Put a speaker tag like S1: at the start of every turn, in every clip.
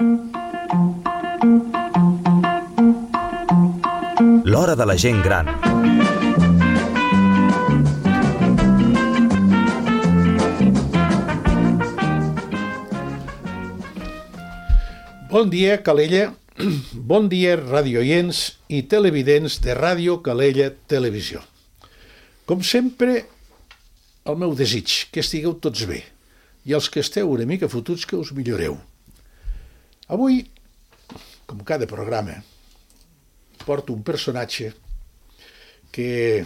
S1: L'hora de la gent gran.
S2: Bon dia, Calella. Bon dia, radioients i televidents de Ràdio Calella Televisió. Com sempre, el meu desig, que estigueu tots bé, i els que esteu una mica fotuts, que us milloreu. Avui, com cada programa, porto un personatge que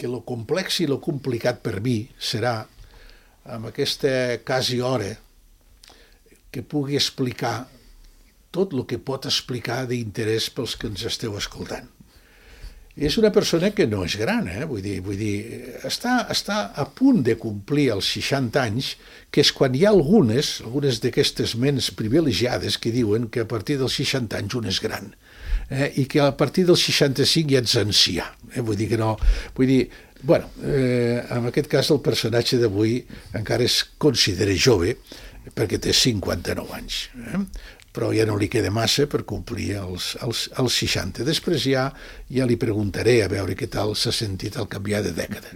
S2: lo complex i lo complicat per mi serà, amb aquesta quasi hora, que pugui explicar tot el que pot explicar d'interès pels que ens esteu escoltant. És una persona que no és gran, vull dir, està a punt de complir els 60 anys, que és quan hi ha algunes d'aquestes ments privilegiades que diuen que a partir dels 60 anys un és gran, i que a partir dels 65 ja ets ancià. En aquest cas el personatge d'avui encara es considera jove, perquè té 59 anys, però ja no li queda massa per complir els 60. Després ja li preguntaré a veure què tal s'ha sentit al canviar de dècada.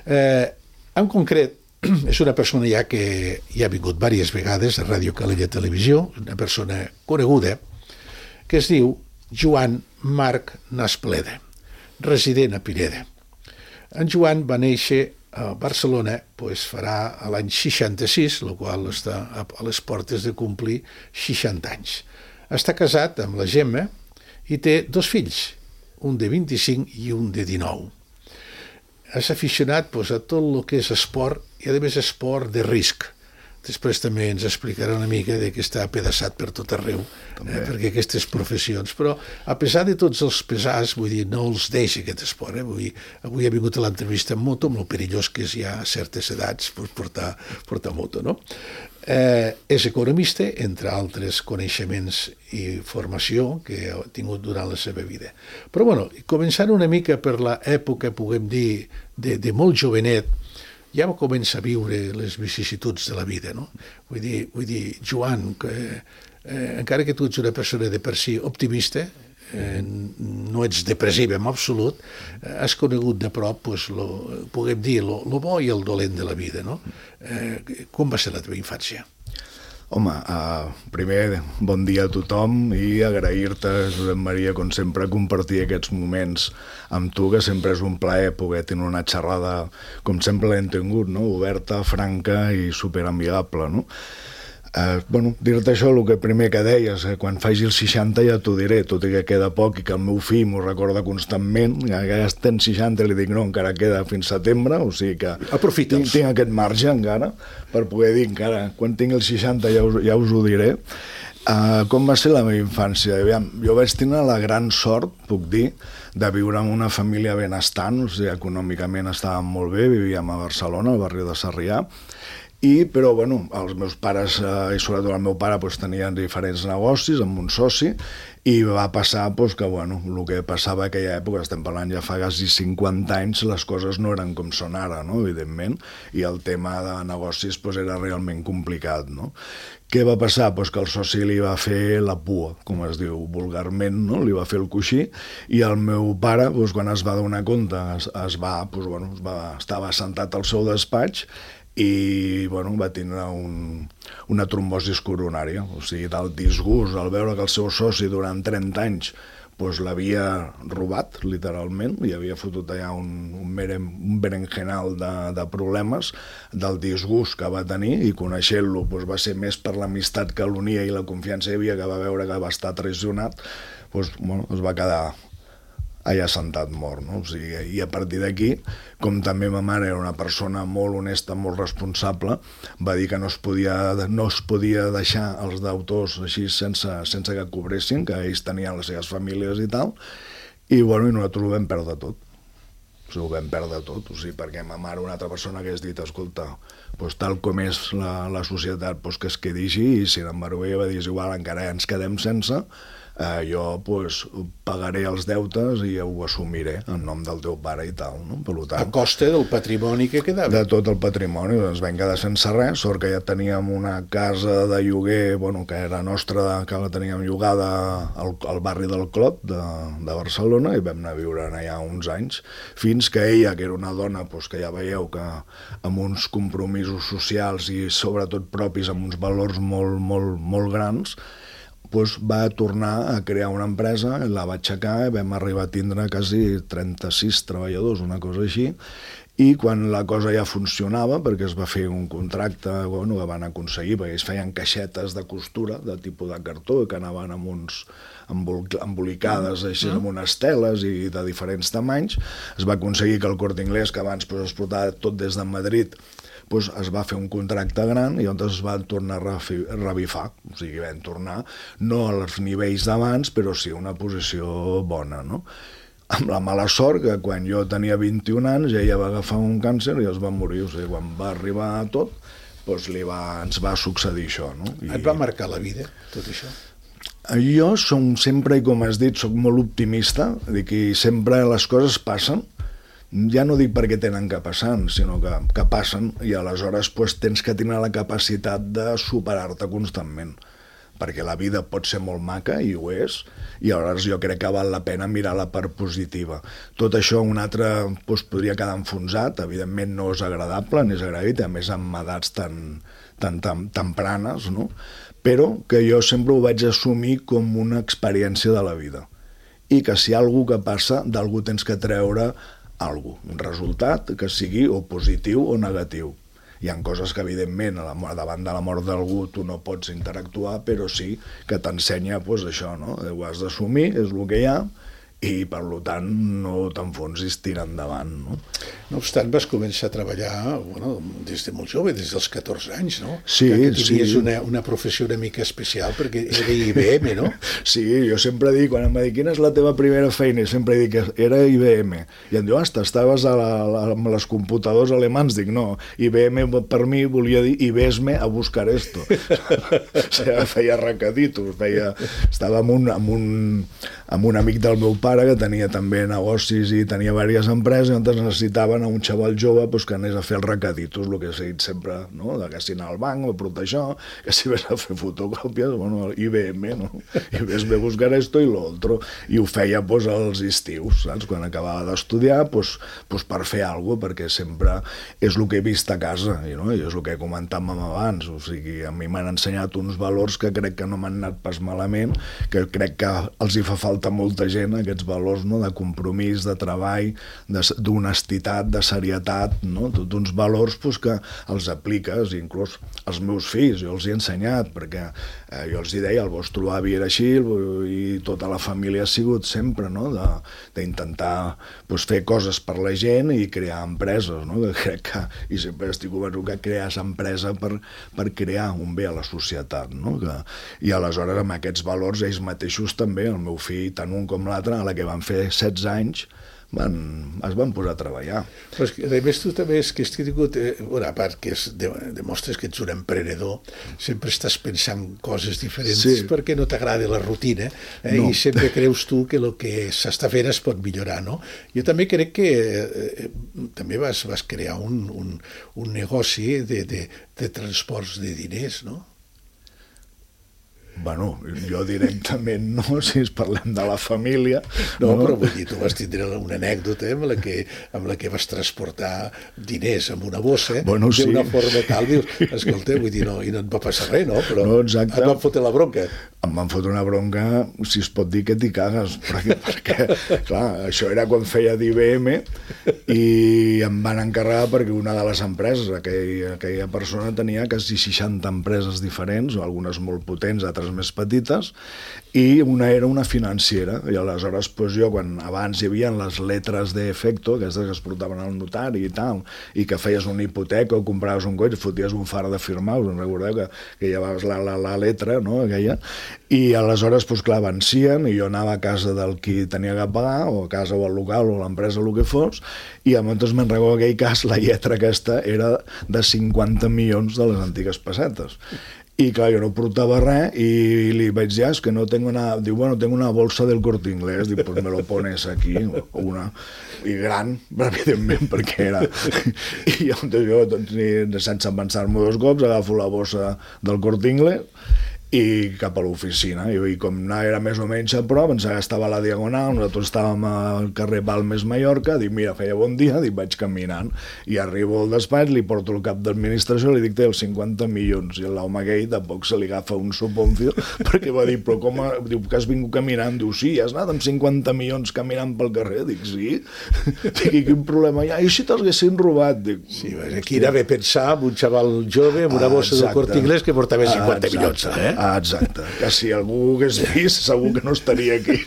S2: En concret, és una persona ja que ja ha vingut diverses vegades a Ràdio Calella Televisió, una persona coneguda, que es diu Joan Marc Naspleda, resident a Pineda. En Joan va néixer a Barcelona, farà l'any 66, el qual està a les portes de complir 60 anys. Està casat amb la Gemma i té 2 fills, un de 25 i un de 19. És aficionat a tot el que és esport, i a més esport de risc. Després també ens explicarà una mica que està apedaçat per tot arreu, perquè aquestes professions, però a pesar de tots els pesars, no els deixa aquest esport. Avui ha vingut a l'entrevista amb moto, amb el perillós que és ja a certes edats portar moto, no? És economista, entre altres coneixements i formació que ha tingut durant la seva vida. Però començant una mica per l'època, puguem dir, de molt jovenet, ja comença a viure les vicissituds de la vida, no? Vull dir, Joan, encara que tu ets una persona de per si optimista, no ets depressiva en absolut, has conegut de prop, puguem dir, lo bo i el dolent de la vida, no? Com va ser la teva infància?
S3: Home, primer, bon dia a tothom i agrair-te, Josep Maria, com sempre, compartir aquests moments amb tu, que sempre és un plaer poder tenir una xerrada, com sempre l'hem tingut, no? Oberta, franca i superamigable, no? Dir-te això, el que primer que deies, quan faci els 60 ja t'ho diré, tot i que queda poc i que el meu fill m'ho recorda constantment, que ja estem 60 i li dic no, encara queda fins setembre, o sigui que tinc aquest marge encara per poder dir encara, quan tinc els 60 ja us ho diré. Com va ser la meva infància? Jo vaig tenir la gran sort, puc dir, de viure en una família benestant, o sigui, econòmicament estàvem molt bé, vivíem a Barcelona, al barri de Sarrià, però els meus pares, i sobretot el meu pare, tenien diferents negocis amb un soci, i va passar que el que passava a aquella època, estem parlant ja fa quasi 50 anys, les coses no eren com són ara, no? Evidentment, i el tema de negocis era realment complicat, no? Què va passar? Que el soci li va fer la pua, com es diu vulgarment, no? Li va fer el coixí, i el meu pare, quan es va donar compte, estava assentat al seu despatx i va tenir una trombosis coronària, o sigui, del disgust al veure que el seu soci durant 30 anys l'havia robat, literalment, i havia fotut allà un berenjenal de problemes, del disgust que va tenir, i coneixent-lo va ser més per l'amistat que l'unia i la confiança hi havia, que va veure que va estar traicionat, es va quedar allà sentat mort, no? O sigui, i a partir d'aquí, com també ma mare era una persona molt honesta, molt responsable, va dir que no es podia deixar els deutors així sense que cobressin, que ells tenien les seves famílies i tal, i nosaltres ho vam perdre tot. Ho vam perdre tot, o sigui, perquè ma mare, una altra persona que has dit, escolta, tal com és la societat, que es quedi així, i sin embargo ella va dir, igual, encara ens quedem sense, jo pagaré els deutes i ho assumiré en nom del teu pare i tal, no? Per tant,
S2: a costa del patrimoni que quedava.
S3: De tot el patrimoni, ens vam quedar sense res, sort que ja teníem una casa de lloguer, que era nostra, que la teníem llogada al barri del Clot de Barcelona, i vam anar a viure allà uns anys, fins que ella, que era una dona que ja veieu que amb uns compromisos socials i sobretot propis, amb uns valors molt, molt, molt grans, va tornar a crear una empresa, la va aixecar i vam arribar a tindre quasi 36 treballadors, una cosa així, i quan la cosa ja funcionava, perquè es va fer un contracte que van aconseguir, perquè es feien caixetes de costura de tipus de cartó que anaven amb uns embolicades així amb unes teles i de diferents tamanys, es va aconseguir que el Corte Inglés, que abans es portava tot des de Madrid, es va fer un contracte gran i llavors es van tornar a revifar, o sigui, vam tornar no als nivells d'abans, però sí a una posició bona, no? Amb la mala sort que quan jo tenia 21 anys ella va agafar un càncer i es va morir, o sigui, quan va arribar a tot, ens va succedir això, no?
S2: Et va marcar la vida, tot això?
S3: Jo sempre, i com has dit, soc molt optimista, dic que sempre les coses passen, ja no dic perquè tenen que passar, sinó que passen, i aleshores tens que tenir la capacitat de superar-te constantment, perquè la vida pot ser molt maca, i ho és, i aleshores jo crec que val la pena mirar la part positiva. Tot això un altre podria quedar enfonsat, evidentment no és agradable, ni és agraït, a més amb edats tan tempranes, no? Però que jo sempre ho vaig assumir com una experiència de la vida, i que si hi ha alguna que passa, d'algú tens que treure un resultat que sigui o positiu o negatiu. Hi ha coses que, evidentment, davant de la mort d'algú tu no pots interactuar, però sí que t'ensenya això, no? Ho has d'assumir, és el que hi ha, i per tant no t'enfonsis, tira endavant, no?
S2: No obstant, vas començar a treballar des de molt jove, des dels 14 anys, no?
S3: Sí,
S2: que tenies una professió una mica especial, perquè era IBM, no?
S3: Sí, jo sempre dic, quan em va dir quina és la teva primera feina, sempre dic que era IBM, i em diu, estaves amb les computadors alemans, dic, no, IBM per mi volia dir IBESME a buscar esto. O sigui, feia recaditos, estava amb un amic del meu pare que tenia també negocis i tenia diverses empreses, i on necessitaven a un xaval jove que anés a fer els recaditos, el que s'ha dit sempre, no? Que si anar al banc o portar això, que si ves a fer fotocòpies, IBM, no? I ves a buscar esto i lo otro, i ho feia als estius, saps? Quan acabava d'estudiar, per fer alguna cosa, perquè sempre és el que he vist a casa, i és el que comentàvem abans, o sigui, a mi m'han ensenyat uns valors que crec que no m'han anat pas malament, que crec que els hi fa falta molta gent, aquests valors, no? De compromís, de treball, d'honestitat, de serietat, no? Tots uns valors que els apliques, inclús als meus fills, jo els he ensenyat, perquè jo els hi deia, el vostre avi era així i tota la família ha sigut sempre, no? D'intentar fer coses per la gent i crear empreses, no? Que crec que, i sempre estic convençut que crees empresa per crear un bé a la societat, no? I aleshores amb aquests valors ells mateixos també, el meu fill, tant un com l'altre, a la que van fer 16 anys, es van posar a treballar.
S2: Però a més tu també és que has tingut, a part que demostres que ets un emprenedor, sempre estàs pensant coses diferents, perquè no t'agrada la rutina, i sempre creus tu que el que s'està fent es pot millorar, no? Jo també crec que també vas crear un negoci de transports de diners, no?
S3: Bueno, jo directament no, si ens parlem de la família.
S2: No, però vull dir, tu vas tindre una anècdota amb la que vas transportar diners amb una bossa, d'una forma tal, dius, escolta, vull dir, i no et va passar res, no? Però et van fotre la bronca.
S3: Em van fotre una bronca, si es pot dir que t'hi cagues, perquè, clar, això era quan feia d'IBM i em van encarregar perquè una de les empreses, aquella persona tenia quasi 60 empreses diferents, algunes molt potents, altres més petites, i una era una financera, i aleshores jo, quan abans hi havia les letres d'efecto, aquestes que es portaven al notari i tal, i que feies una hipoteca o compraves un cotxe, foties un far de firmar, us en recordeu que llevaves la letra, no?, aquella, i aleshores, clar, vencien, i jo anava a casa del qui tenia que pagar, o a casa o al local o a l'empresa, el que fos, i llavors me'n recordo que en aquell cas la lletra aquesta era de 50 milions de les antigues pessetes. I clar, jo no portava res i li vaig dir, és que no tengo nada. Diu, bueno, tengo una bolsa del Corte Inglés. Diu, pues me lo pones aquí. Una. I gran, evidentment, perquè era... I llavors jo, doncs, sense pensar-m'ho 2 cops, agafo la bossa del Corte Inglés i cap a l'oficina. I com era més o menys a prop, pensava que estava a la Diagonal, nosaltres estàvem al carrer Balmes, Mallorca, dic, mira, feia bon dia, dic, vaig caminant, i arribo al despatx, li porto el cap d'administració, li dic, té els 50 milions, i l'home aquell tampoc se li agafa un soponcio, perquè va dir, però com, diu, que has vingut caminant? Diu, sí, has anat amb 50 milions caminant pel carrer? Dic, sí. Dic, i quin problema hi ha? I si t'haguessin robat? Dic,
S2: sí, aquí era bé pensar en un xaval jove amb una bossa del Corte Inglés que portava 50 milions,
S3: exacte, que si algú hagués vist segur que no estaria aquí.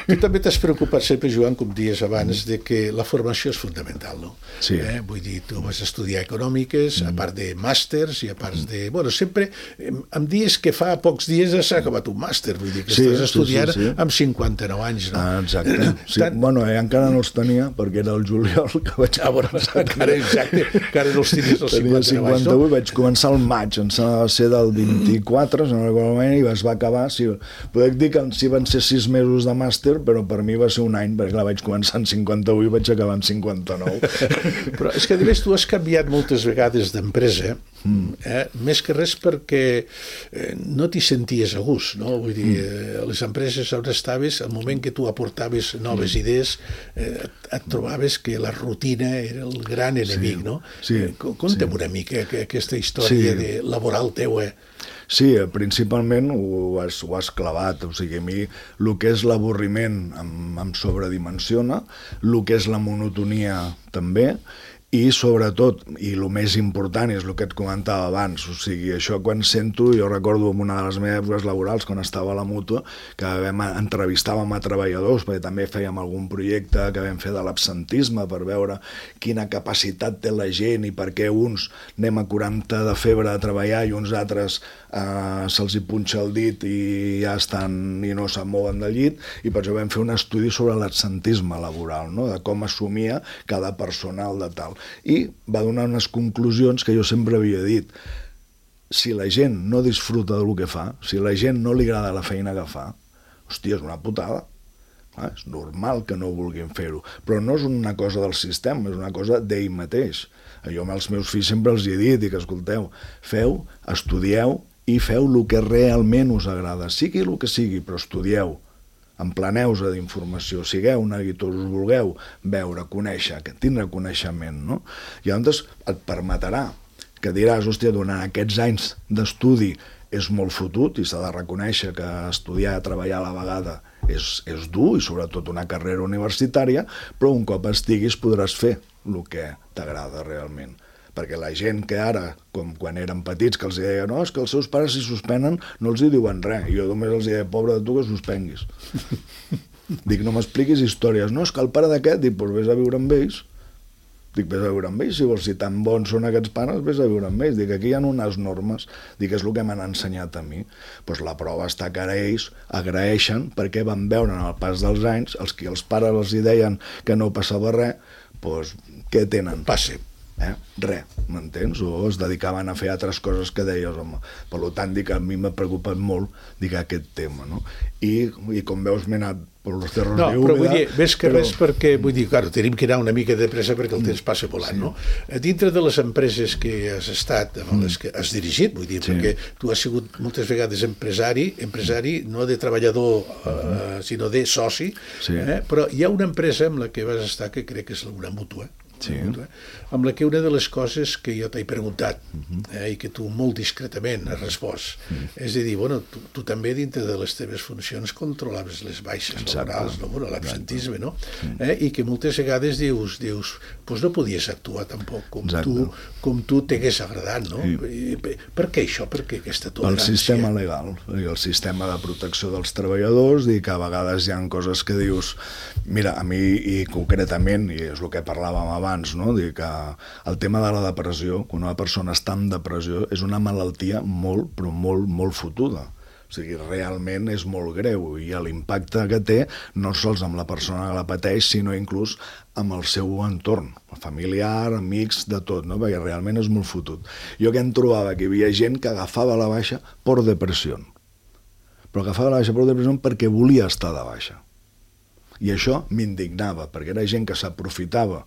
S2: Tu també t'has preocupat sempre, Joan, com dies abans, de que la formació és fundamental, no?
S3: Sí.
S2: Vull dir, tu vas estudiar econòmiques, a part de màsters i a part de... Bueno, sempre em dies que fa pocs dies has acabat un màster, vull dir, que estàs estudiant amb 59 anys, no?
S3: Exacte. Sí. Bueno, encara no els tenia, perquè era el juliol que vaig començar.
S2: Encara no els tenies els 59 anys, no?
S3: 58, vaig començar al maig, em sembla va ser del 24, no recordo mai, i es va acabar, sí, podec dir que sí van ser 6 mesos de màster, però per mi va ser un any, perquè vaig començar en 58 i vaig acabar en 59.
S2: Però és que, a més, tu has canviat moltes vegades d'empresa, més que res perquè no t'hi senties a gust, no? Vull dir, les empreses on estaves, al moment que tu aportaves noves idees, et trobaves que la rutina era el gran enemic, no? Conta'm una mica aquesta història laboral teua.
S3: Sí, principalment ho has clavat, o sigui, a mi el que és l'avorriment em sobredimensiona, el que és la monotonia també, i sobretot, i el més important és el que et comentava abans, o sigui, això quan sento, jo recordo en una de les meves èpoques laborals, quan estava a la Mútua, que entrevistàvem a treballadors, perquè també fèiem algun projecte que vam fer de l'absentisme per veure quina capacitat té la gent i per què uns anem a 40 de febre a treballar i uns altres se'ls hi punxa el dit i ja estan i no se'n mouen del llit, i per això vam fer un estudi sobre l'absentisme laboral, no? De com assumia cada personal de tal. I va donar unes conclusions que jo sempre havia dit. Si la gent no disfruta del que fa, si la gent no li agrada la feina que fa, hòstia, és una putada. És normal que no vulguin fer-ho, però no és una cosa del sistema, és una cosa d'ell mateix. Jo amb els meus fills sempre els he dit, dic, escolteu, feu, estudieu i feu el que realment us agrada, sigui el que sigui, però estudieu. Empleneu-vos d'informació, sigueu neguitós, us vulgueu veure, conèixer, tindre coneixement, no? I llavors et permetrà que diràs, hòstia, durant aquests anys d'estudi és molt fotut i s'ha de reconèixer que estudiar i treballar a la vegada és dur i sobretot una carrera universitària, però un cop estiguis podràs fer el que t'agrada realment. Perquè la gent que ara, com quan eren petits, que els deia, no, és que els seus pares si suspenen no els hi diuen res, i jo només els deia, pobre de tu que suspenguis. Dic, no m'expliquis històries, no, és que el pare d'aquest, dic, doncs vés a viure amb ells. Dic, vés a viure amb ells, si vols, si tan bons són aquests pares, vés a viure amb ells. Dic, aquí hi ha unes normes, dic, és el que m'han ensenyat a mi. Doncs la prova està que ara ells agraeixen perquè van veure en el pas dels anys, els que els pares els hi deien que no passava res, doncs què tenen?
S2: Passe.
S3: Res, m'entens? O es dedicaven a fer altres coses que deies, home. Per tant, dic, a mi m'ha preocupat molt, dic, aquest tema, no? I com veus, m'he anat per els terres
S2: no, però vull dir, més que res perquè, vull dir, clar, tenim que anar una mica de pressa perquè el temps passa volant, no? Dintre de les empreses que has estat, amb les que has dirigit, vull dir, perquè tu has sigut moltes vegades empresari no de treballador, sinó de soci, però hi ha una empresa amb la que vas estar que crec que és una mútua, amb la que una de les coses que jo t'he preguntat i que tu molt discretament has respost és de dir, bueno, tu també dintre de les teves funcions controlaves les baixes laborals, no? Bueno, l'absentisme, no? I que moltes vegades dius doncs no podies actuar tampoc com tu t'hagués agradat, no? Per què això? Per què aquesta tolerància?
S3: El sistema legal i el sistema de protecció dels treballadors, i que a vegades hi ha coses que dius, mira, a mi i concretament, i és el que parlàvem abans, no? Dir que el tema de la depressió, quan una persona està en depressió, és una malaltia molt, però molt, molt fotuda. O O sigui, realment és molt greu i l'impacte que té no sols amb la persona que la pateix, sinó inclús amb el seu entorn, familiar, amics, de tot, no? Perquè realment és molt fotut. Jo que em trobava que hi havia gent que agafava la baixa per depressió, però agafava la baixa per depressió perquè volia estar de baixa. I això m'indignava, perquè era gent que s'aprofitava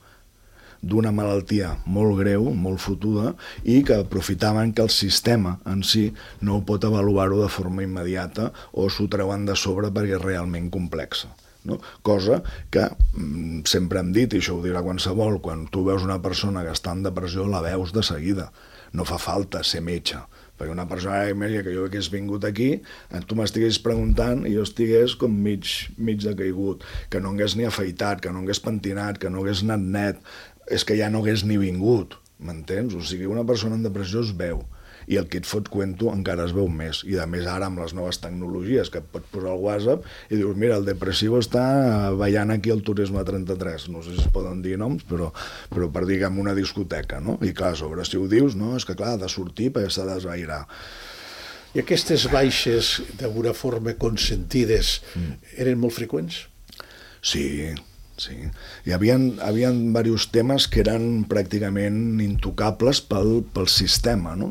S3: d'una malaltia molt greu, molt fotuda, i que aprofitaven que el sistema en si no ho pot avaluar-ho de forma immediata o s'ho treuen de sobre perquè és realment complexa. No? Cosa que sempre hem dit, i això ho dirà qualsevol, quan tu veus una persona que està en depressió la veus de seguida. No fa falta ser metge, perquè una persona que jo hagués vingut aquí, tu m'estigués preguntant i jo estigués com mig decaigut, que no hagués ni afaitat, que no hagués pentinat, que no hagués anat net, és que ja no hagués ni vingut, m'entens? O sigui, una persona en depressió es veu, i el que et fot cuento encara es veu més, i a més ara amb les noves tecnologies que et pots posar al WhatsApp i dius, mira, el depressiu està ballant aquí al Turisme 33, no sé si es poden dir noms, però per dir que en una discoteca, no? I clar, sobre si ho dius, no, és que clar, ha de sortir perquè s'ha d'esvairar.
S2: I aquestes baixes, d'alguna forma consentides, eren molt freqüents?
S3: Sí. Hi havia diversos temes que eren pràcticament intocables pel sistema, no?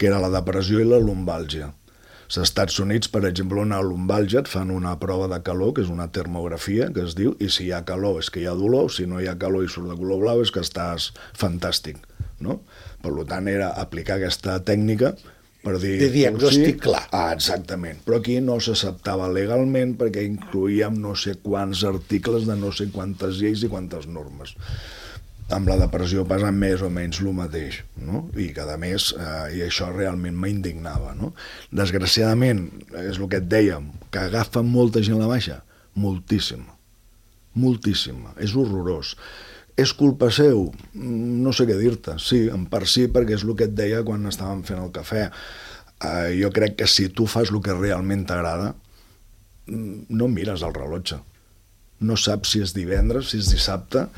S3: Que era la depressió i la lumbàlgia. Als Estats Units, per exemple, una lumbàlgia et fan una prova de calor, que és una termografia, que es diu, i si hi ha calor és que hi ha dolor, si no hi ha calor i surt de color blau és que estàs fantàstic, no? Per tant, era aplicar aquesta tècnica per dir,
S2: de diagnòstic clar.
S3: Exactament, però aquí no s'acceptava legalment perquè incloïem no sé quants articles de no sé quantes lleis i quantes normes. Amb la depressió passa més o menys el mateix, no? I que a més, i això realment m'indignava, no? Desgraciadament, és el que et dèiem, que agafa molta gent la baixa, moltíssima, és horrorós. És culpa seu? No sé què dir-te. Sí, en part sí, perquè és el que et deia quan estàvem fent el cafè. Jo crec que si tu fas el que realment t'agrada, no mires el rellotge. No saps si és divendres, si és dissabte.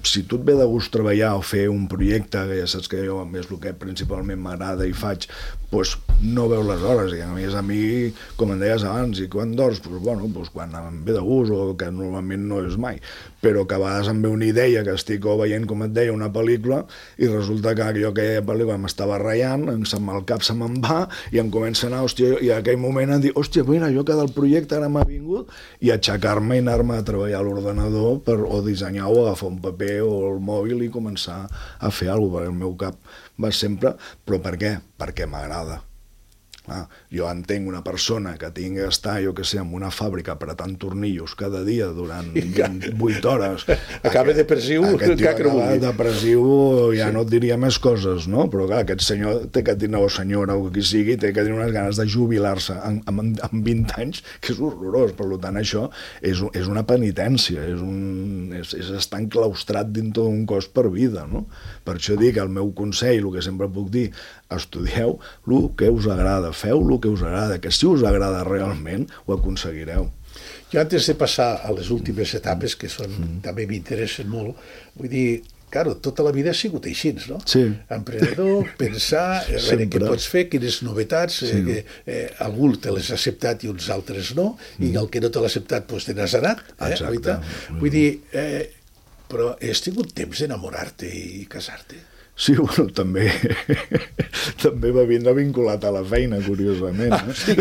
S3: Si tu et ve de gust treballar o fer un projecte, que ja saps que jo és el que principalment m'agrada i faig, doncs no veus les hores. I a més a mi, com em deies abans, i quan dors? Doncs quan em ve de gust, o que normalment no és mai. Però que a vegades em ve una idea que estic veient, com et deia, una pel·lícula, i resulta que jo aquella pel·lícula m'estava ratllant, el cap se me'n va, i em comença a anar, hòstia, i en aquell moment em dic, hòstia, mira, jo que del projecte ara m'ha vingut, i aixecar-me i anar-me a treballar a l'ordenador o dissenyar o agafar un paper o el mòbil i començar a fer alguna cosa, perquè el meu cap va sempre, però per què? Perquè m'agrada. Jo entenc una persona que tingui que estar, jo que sé, en una fàbrica apretant tornillos cada dia durant 8 hores.
S2: Acaba depressiu.
S3: Aquest tio acaba depressiu, ja no et diria més coses, no? Però clar, aquest senyor té que tenir, o senyora o qui sigui, té que tenir unes ganes de jubilar-se amb 20 anys, que és horrorós. Per tant, això és una penitència, és estar enclaustrat dintre d'un cos per vida, no? Per això dic, el meu consell, el que sempre puc dir, estudieu el que us agrada, feu el que us agrada, que si us agrada realment ho aconseguireu.
S2: Jo antes de passar a les últimes etapes, que també m'interessen molt, vull dir, claro, tota la vida ha sigut així, no?
S3: Sí.
S2: Emprenedor, pensar, veure què pots fer, quines novetats, algú te les ha acceptat i uns altres no, i el que no te l'ha acceptat, doncs te n'has anat.
S3: Exacte.
S2: Vull dir, però has tingut temps d'enamorar-te i casar-te?
S3: Sí, bueno, també va vindre vinculat a la feina, curiosament. Sí,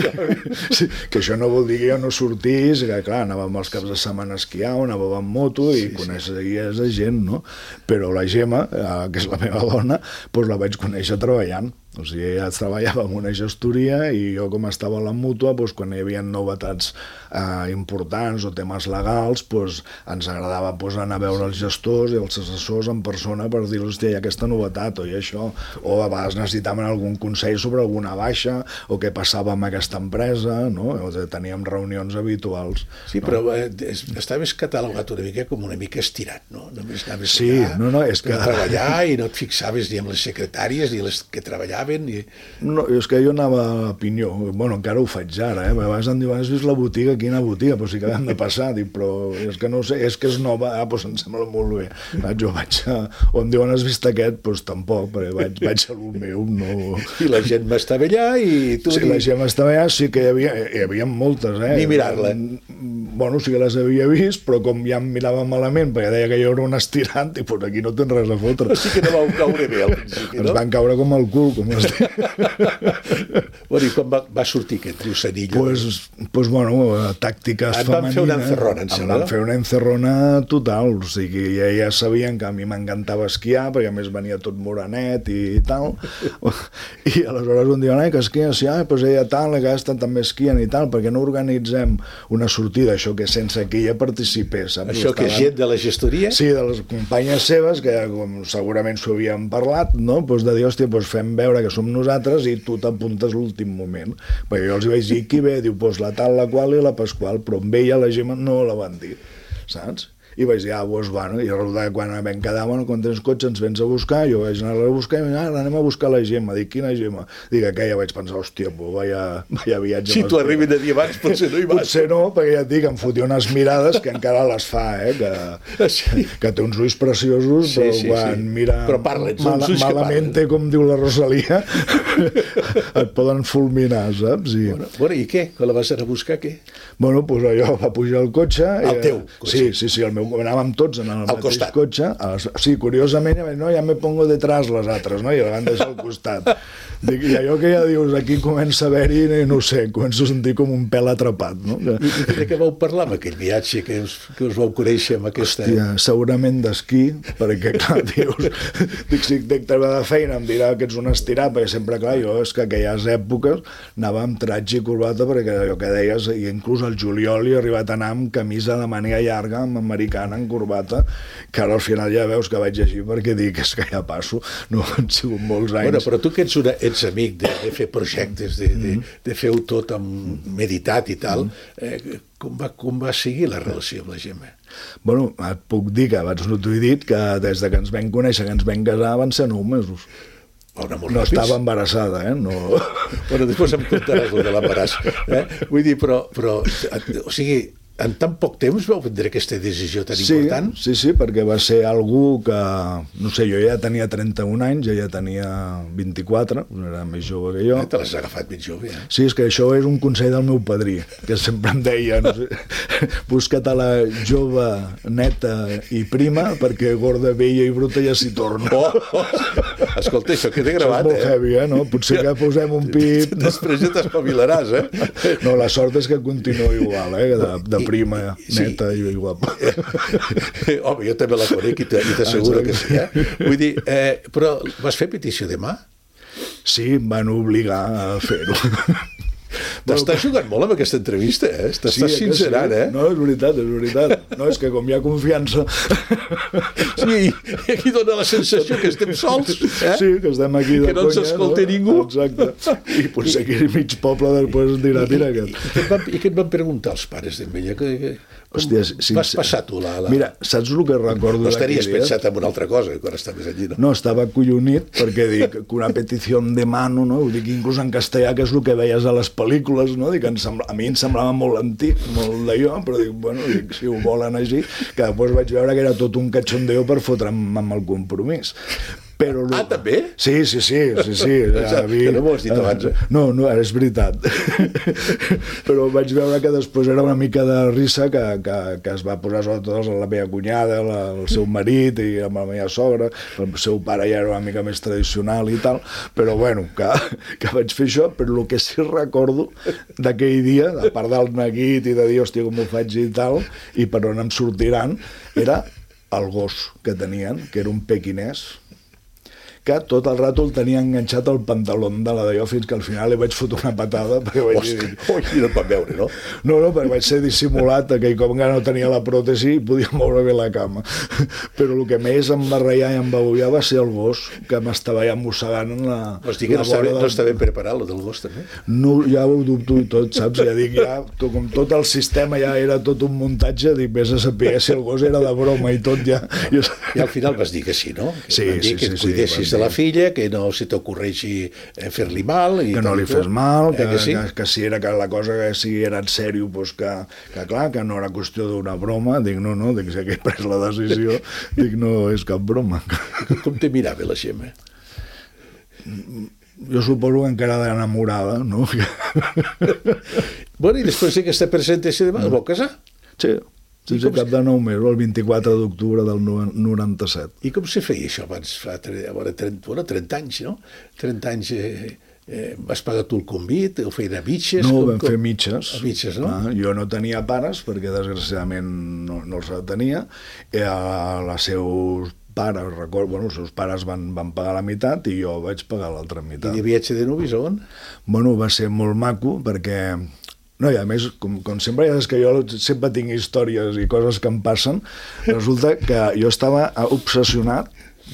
S3: que això no vol dir que jo no sortís, que clar, anàvem els caps de setmana a esquiar, anàvem amb moto i coneixies gent, no? Però la Gemma, que és la meva dona, doncs la vaig conèixer treballant. O sigui, ella treballava en una gestoria i jo, com estava a la mútua, doncs, quan hi havia novetats importants o temes legals, doncs, ens agradava anar a veure els gestors i els assessors en persona per dir-los, hòstia, hi ha aquesta novetat o hi ha això, o a vegades necessitaven algun consell sobre alguna baixa o què passava amb aquesta empresa, no? O sigui, teníem reunions habituals.
S2: Sí, no? Però estaves catalogat una mica com una mica estirat, no? Només anaves
S3: allà
S2: a treballar i no et fixaves ni amb les secretàries ni les que treballaven passaven i...
S3: No, és que jo anava a Pinyó, bueno, encara ho faig ara, a vegades em diuen, has vist la botiga? Quina botiga? Però sí que hem de passar, dic, però és que no sé, és que és nova, doncs em sembla molt bé. Jo vaig a... O em diuen, has vist aquest? Doncs tampoc, perquè vaig a lo meu, no...
S2: I la gent m'estava allà i tu...
S3: Sí, la gent estava allà, sí que hi havia moltes,
S2: Ni mirar-la.
S3: Bueno, sí que les havia vist, però com ja em mirava malament, perquè deia que jo era un estirant, i doncs aquí no tens res a fotre.
S2: Però sí que no vau caure bé al principi, no?
S3: Ens van caure com el cul, com es diu.
S2: Bueno, i quan va sortir aquest Triusanillo?
S3: Pues bueno, tàctiques femenines...
S2: Et van fer una encerrona, em sembla,
S3: no? Em van fer una encerrona total, o sigui, ja sabien que a mi m'encantava esquiar, perquè a més venia tot morenet i tal, i aleshores un dia, que esquia, sí, doncs ella tal, que aquesta també esquien i tal, perquè no organitzem una sortida, això que sense que ella participés, saps?
S2: Això que és gent de la gestoria?
S3: Sí, de les companyes seves, que com segurament s'ho havien parlat, no? Doncs de dir, hòstia, doncs fem veure que som nosaltres i tu t'apuntes l'últim moment. Perquè jo els vaig dir, qui ve? Diu, doncs la tal, la qual i la Pasqual, però amb ella la Gemma no la van dir, saps? I vaig dir, doncs bueno, i resulta que quan vam quedar, bueno, quan tens cotxe ens vens a buscar, jo vaig anar a buscar i anem a buscar la Gemma. Dic, quina Gemma? Dic, aquella, vaig pensar, hòstia, vaya viatge.
S2: Si t'ho arribin a dir abans, potser no hi vas.
S3: Potser no, perquè ja et dic, em fotia unes mirades que encara les fa, que té uns ulls preciosos,
S2: sí,
S3: però
S2: sí,
S3: quan mira
S2: però parla,
S3: malament, com diu la Rosalia, et poden fulminar, saps?
S2: Bueno, i què? Quan la vas anar a buscar, què?
S3: Bueno, doncs allò va pujar al cotxe.
S2: El teu cotxe?
S3: Sí, el meu, anàvem tots en el mateix
S2: costat.
S3: cotxe. Sí, curiosament, no, ja me pongo detrás les altres, no? I la van deixar al costat. Dic, i allò que ja dius, aquí comença a haver-hi, no sé, començo a sentir com un pèl atrapat, no?
S2: I de què vau parlar amb aquell viatge que us vau conèixer amb aquesta...
S3: Hòstia, segurament d'esquí, perquè, clar, dius, dic, si dic treba de feina, em dirà que ets un estirat, perquè sempre, clar, jo és que aquelles èpoques anava amb tratge i corbata, perquè allò que deies, i inclús al juliol he arribat a anar amb camisa de màniga llarga, amb americana, en corbata, que ara al final ja veus que vaig així, perquè dic, és que ja passo, no han sigut molts anys.
S2: Bueno, però tu que ets amic de fer projectes, de fer-ho tot amb meditat i tal, com va seguir la relació amb la Gemma?
S3: Bueno, et puc dir que abans no t'ho he dit, que des de que ens vam conèixer, que ens vam casar, van ser 9 mesos. No estava embarassada, no...
S2: Bueno, després em contaràs el de l'embaràs. Vull dir, però, o sigui, en tan poc temps vau prendre aquesta decisió tan important?
S3: Sí, perquè va ser algú que, no sé, jo ja tenia 31 anys, ella tenia 24, era més jove que jo.
S2: Te l'has agafat més jove,
S3: Sí, és que això és un consell del meu padrí, que sempre em deia, no sé, busca't a la jove, neta i prima, perquè gorda, vella i bruta ja s'hi torna.
S2: Escolta, això queda gravat,
S3: és molt heavy, no? Potser que posem un pip...
S2: Després ja t'espavilaràs,
S3: No, la sort és que continua igual, de prima, neta i guapa.
S2: Home, jo també la conec i t'asseguro que sí. Vull dir, però vas fer petició de mà?
S3: Sí, em van obligar a fer-ho.
S2: T'estàs jugant molt amb aquesta entrevista, T'estàs sincerant,
S3: No, és veritat. No, és que com hi ha confiança...
S2: Sí, aquí dona la sensació que estem sols,
S3: Sí, que estem aquí de conya.
S2: Que no ens escolta ningú.
S3: Exacte. I potser aquí mig poble després dirà, mira aquest.
S2: I què et van preguntar els pares d'ella?
S3: Hòstia,
S2: vas passar tu la...
S3: Mira, saps el que recordo
S2: no estaries pensat en una altra cosa quan estaves allí, no?
S3: No, estava acollonit perquè dic que una petició de mano, no? Ho dic inclús en castellà, que és el que veies a les pel·lícules, no? Dic, a mi em semblava molt antic, molt d'allò, però dic, bueno, si ho volen així, que després vaig veure que era tot un cachondeo per fotre'm amb el compromís. Però
S2: també?
S3: Sí.
S2: Que no m'ho has dit abans,
S3: No, és veritat. Però vaig veure que després era una mica de risa que es va posar sobretot la meva cunyada, el seu marit i amb la meva sogra, el seu pare ja era una mica més tradicional i tal, però bueno, que vaig fer això, però el que sí recordo d'aquell dia, a part del neguit i de dir, hòstia, com ho faig i tal, i per on em sortiran, era el gos que tenien, que era un pequinès, que tot el rato el tenia enganxat al pantaló de la d'allò fins que al final li vaig fotre una patada perquè vaig dir...
S2: I no et van veure, no?
S3: No, perquè vaig ser dissimulat, aquell cop encara no tenia la pròtesi i podia moure bé la cama. Però el que més em va reiar i em va ullar va ser el gos, que m'estava ja mossegant en la...
S2: Vols dir que no està ben preparat, el del gos, també?
S3: No, ja ho dubto i tot, saps? Ja dic, com tot el sistema ja era tot un muntatge, dic, vés a saber si el gos era de broma i tot ja...
S2: I al final vas dir que sí, no?
S3: Sí.
S2: Que et cuidessis de la filla, que no se t'ocorreixi fer-li mal.
S3: Que no li fes mal, que si era que la cosa que si era en sèrio, doncs que clar, que no era qüestió d'una broma. Dic, no, dic, si he pres la decisió, dic, no és cap broma.
S2: Com te mirava la Gemma?
S3: Jo suposo que encara d'enamorada, no?
S2: Bueno, i després d'aquesta presentació de vau casar?
S3: Sí, cap de 9 mesos, el 24 d'octubre del 97.
S2: I com se feia això abans? Fa 30 anys, no? 30 anys vas pagar tu el convit, ho feien a mitges?
S3: No, vam fer mitges.
S2: A mitges, no?
S3: Jo no tenia pares, perquè desgraciadament no els tenia. Els seus pares, recordo, els seus pares van pagar la meitat i jo vaig pagar l'altra meitat.
S2: I de viatge de nuvis on?
S3: Bueno, va ser molt maco, perquè... No, i a més, com sempre, ja és que jo sempre tinc històries i coses que em passen, resulta que jo estava obsessionat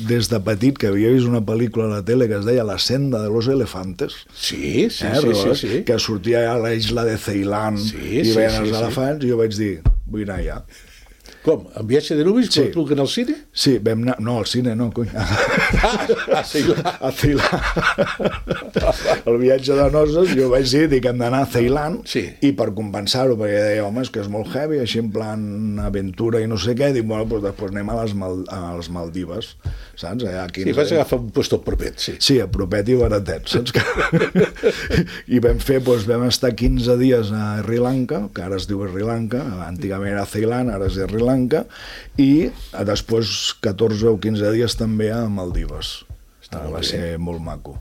S3: des de petit, que havia vist una pel·lícula a la tele que es deia La senda de los elefantes.
S2: Sí.
S3: Que sortia a la isla de Ceilan i veien els elefants, i jo vaig dir, vull anar allà.
S2: Com? En viatge de nuvis? Sí. Tu que anar al cine?
S3: Sí, vam anar... No, al cine no, cony.
S2: A Ceilan.
S3: A Ceilan. El viatge de noces, jo vaig dir que hem d'anar a Ceilan, i per compensar-ho, perquè deia, home, és que és molt heavy, així en plan aventura i no sé què, dic, bueno, doncs després anem a les Maldives, saps?
S2: Sí, vas agafar un puesto propet, sí.
S3: Sí, a propet i baratet, saps? I vam estar 15 dies a Sri Lanka, que ara es diu Sri Lanka, antigament era Ceilan, ara és Sri Lanka, i després 14 o 15 dies també a Maldives. Va ser molt maco.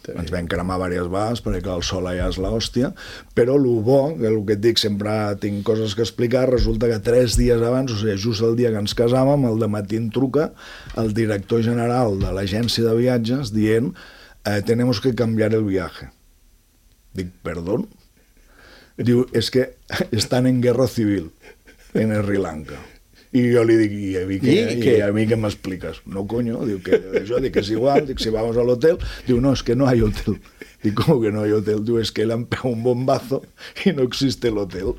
S3: Ens vam cremar diverses vegades perquè el sol allà és l'hòstia, però el bo, que el que et dic, sempre tinc coses que explicar, resulta que 3 dies abans, o sigui, just el dia que ens casàvem, al dematí em truca el director general de l'agència de viatges dient tenemos que cambiar el viaje. Dic, perdón? Diu, és que estan en guerra civil en Sri Lanka. I jo li dic, i a mi què m'expliques? No, coño, diu que jo dic que és igual, dic, si vamos al hotel, diu, no, es que no hay hotel. Dic, ¿cómo que no hay hotel? Diu, es que le han pegado un bombazo y no existe el hotel.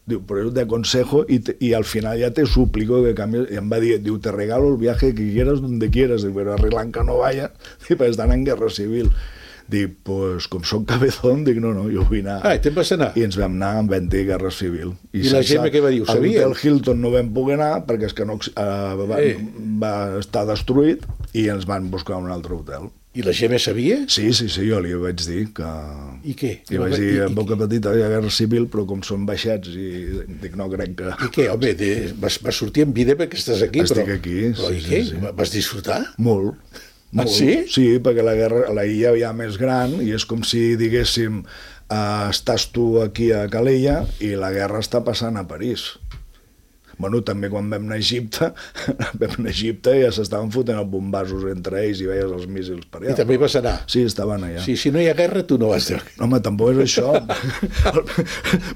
S3: Diu, por eso te aconsejo y al final ya te suplico que cambies. Y em va dir, diu, te regalo el viaje que quieras donde quieras, diu, pero a Sri Lanka no vaya, perquè estan en guerra civil. Dic, pues, com soc cabezón, dic, no, jo vull anar.
S2: I te'n vas anar?
S3: I ens vam anar en vent de guerra civil.
S2: I la Gemma què va dir? Ho sabia?
S3: A l'hotel Hilton no vam poder anar perquè és que no, va estar destruït i ens van buscar un altre hotel.
S2: I la Gemma sabia?
S3: Sí, jo li vaig dir que...
S2: I què?
S3: I vaig dir, en boca petita hi ha guerra civil, però com són baixets, i dic, no crec que...
S2: I què, home, vas sortir en vida perquè estàs aquí, però...
S3: Estic aquí,
S2: però i què? Vas disfrutar?
S3: Molt.
S2: Ah, sí?
S3: Sí, perquè la illa ja més gran i és com si diguéssim estàs tu aquí a Calella i la guerra està passant a París. Bueno, també quan vam anar a Egipte ja s'estaven fotent els bombassos entre ells i veies els míssils per allà.
S2: I també vas anar?
S3: Sí, estaven allà.
S2: Sí, si no hi ha guerra, tu no vas anar.
S3: Home, tampoc és això.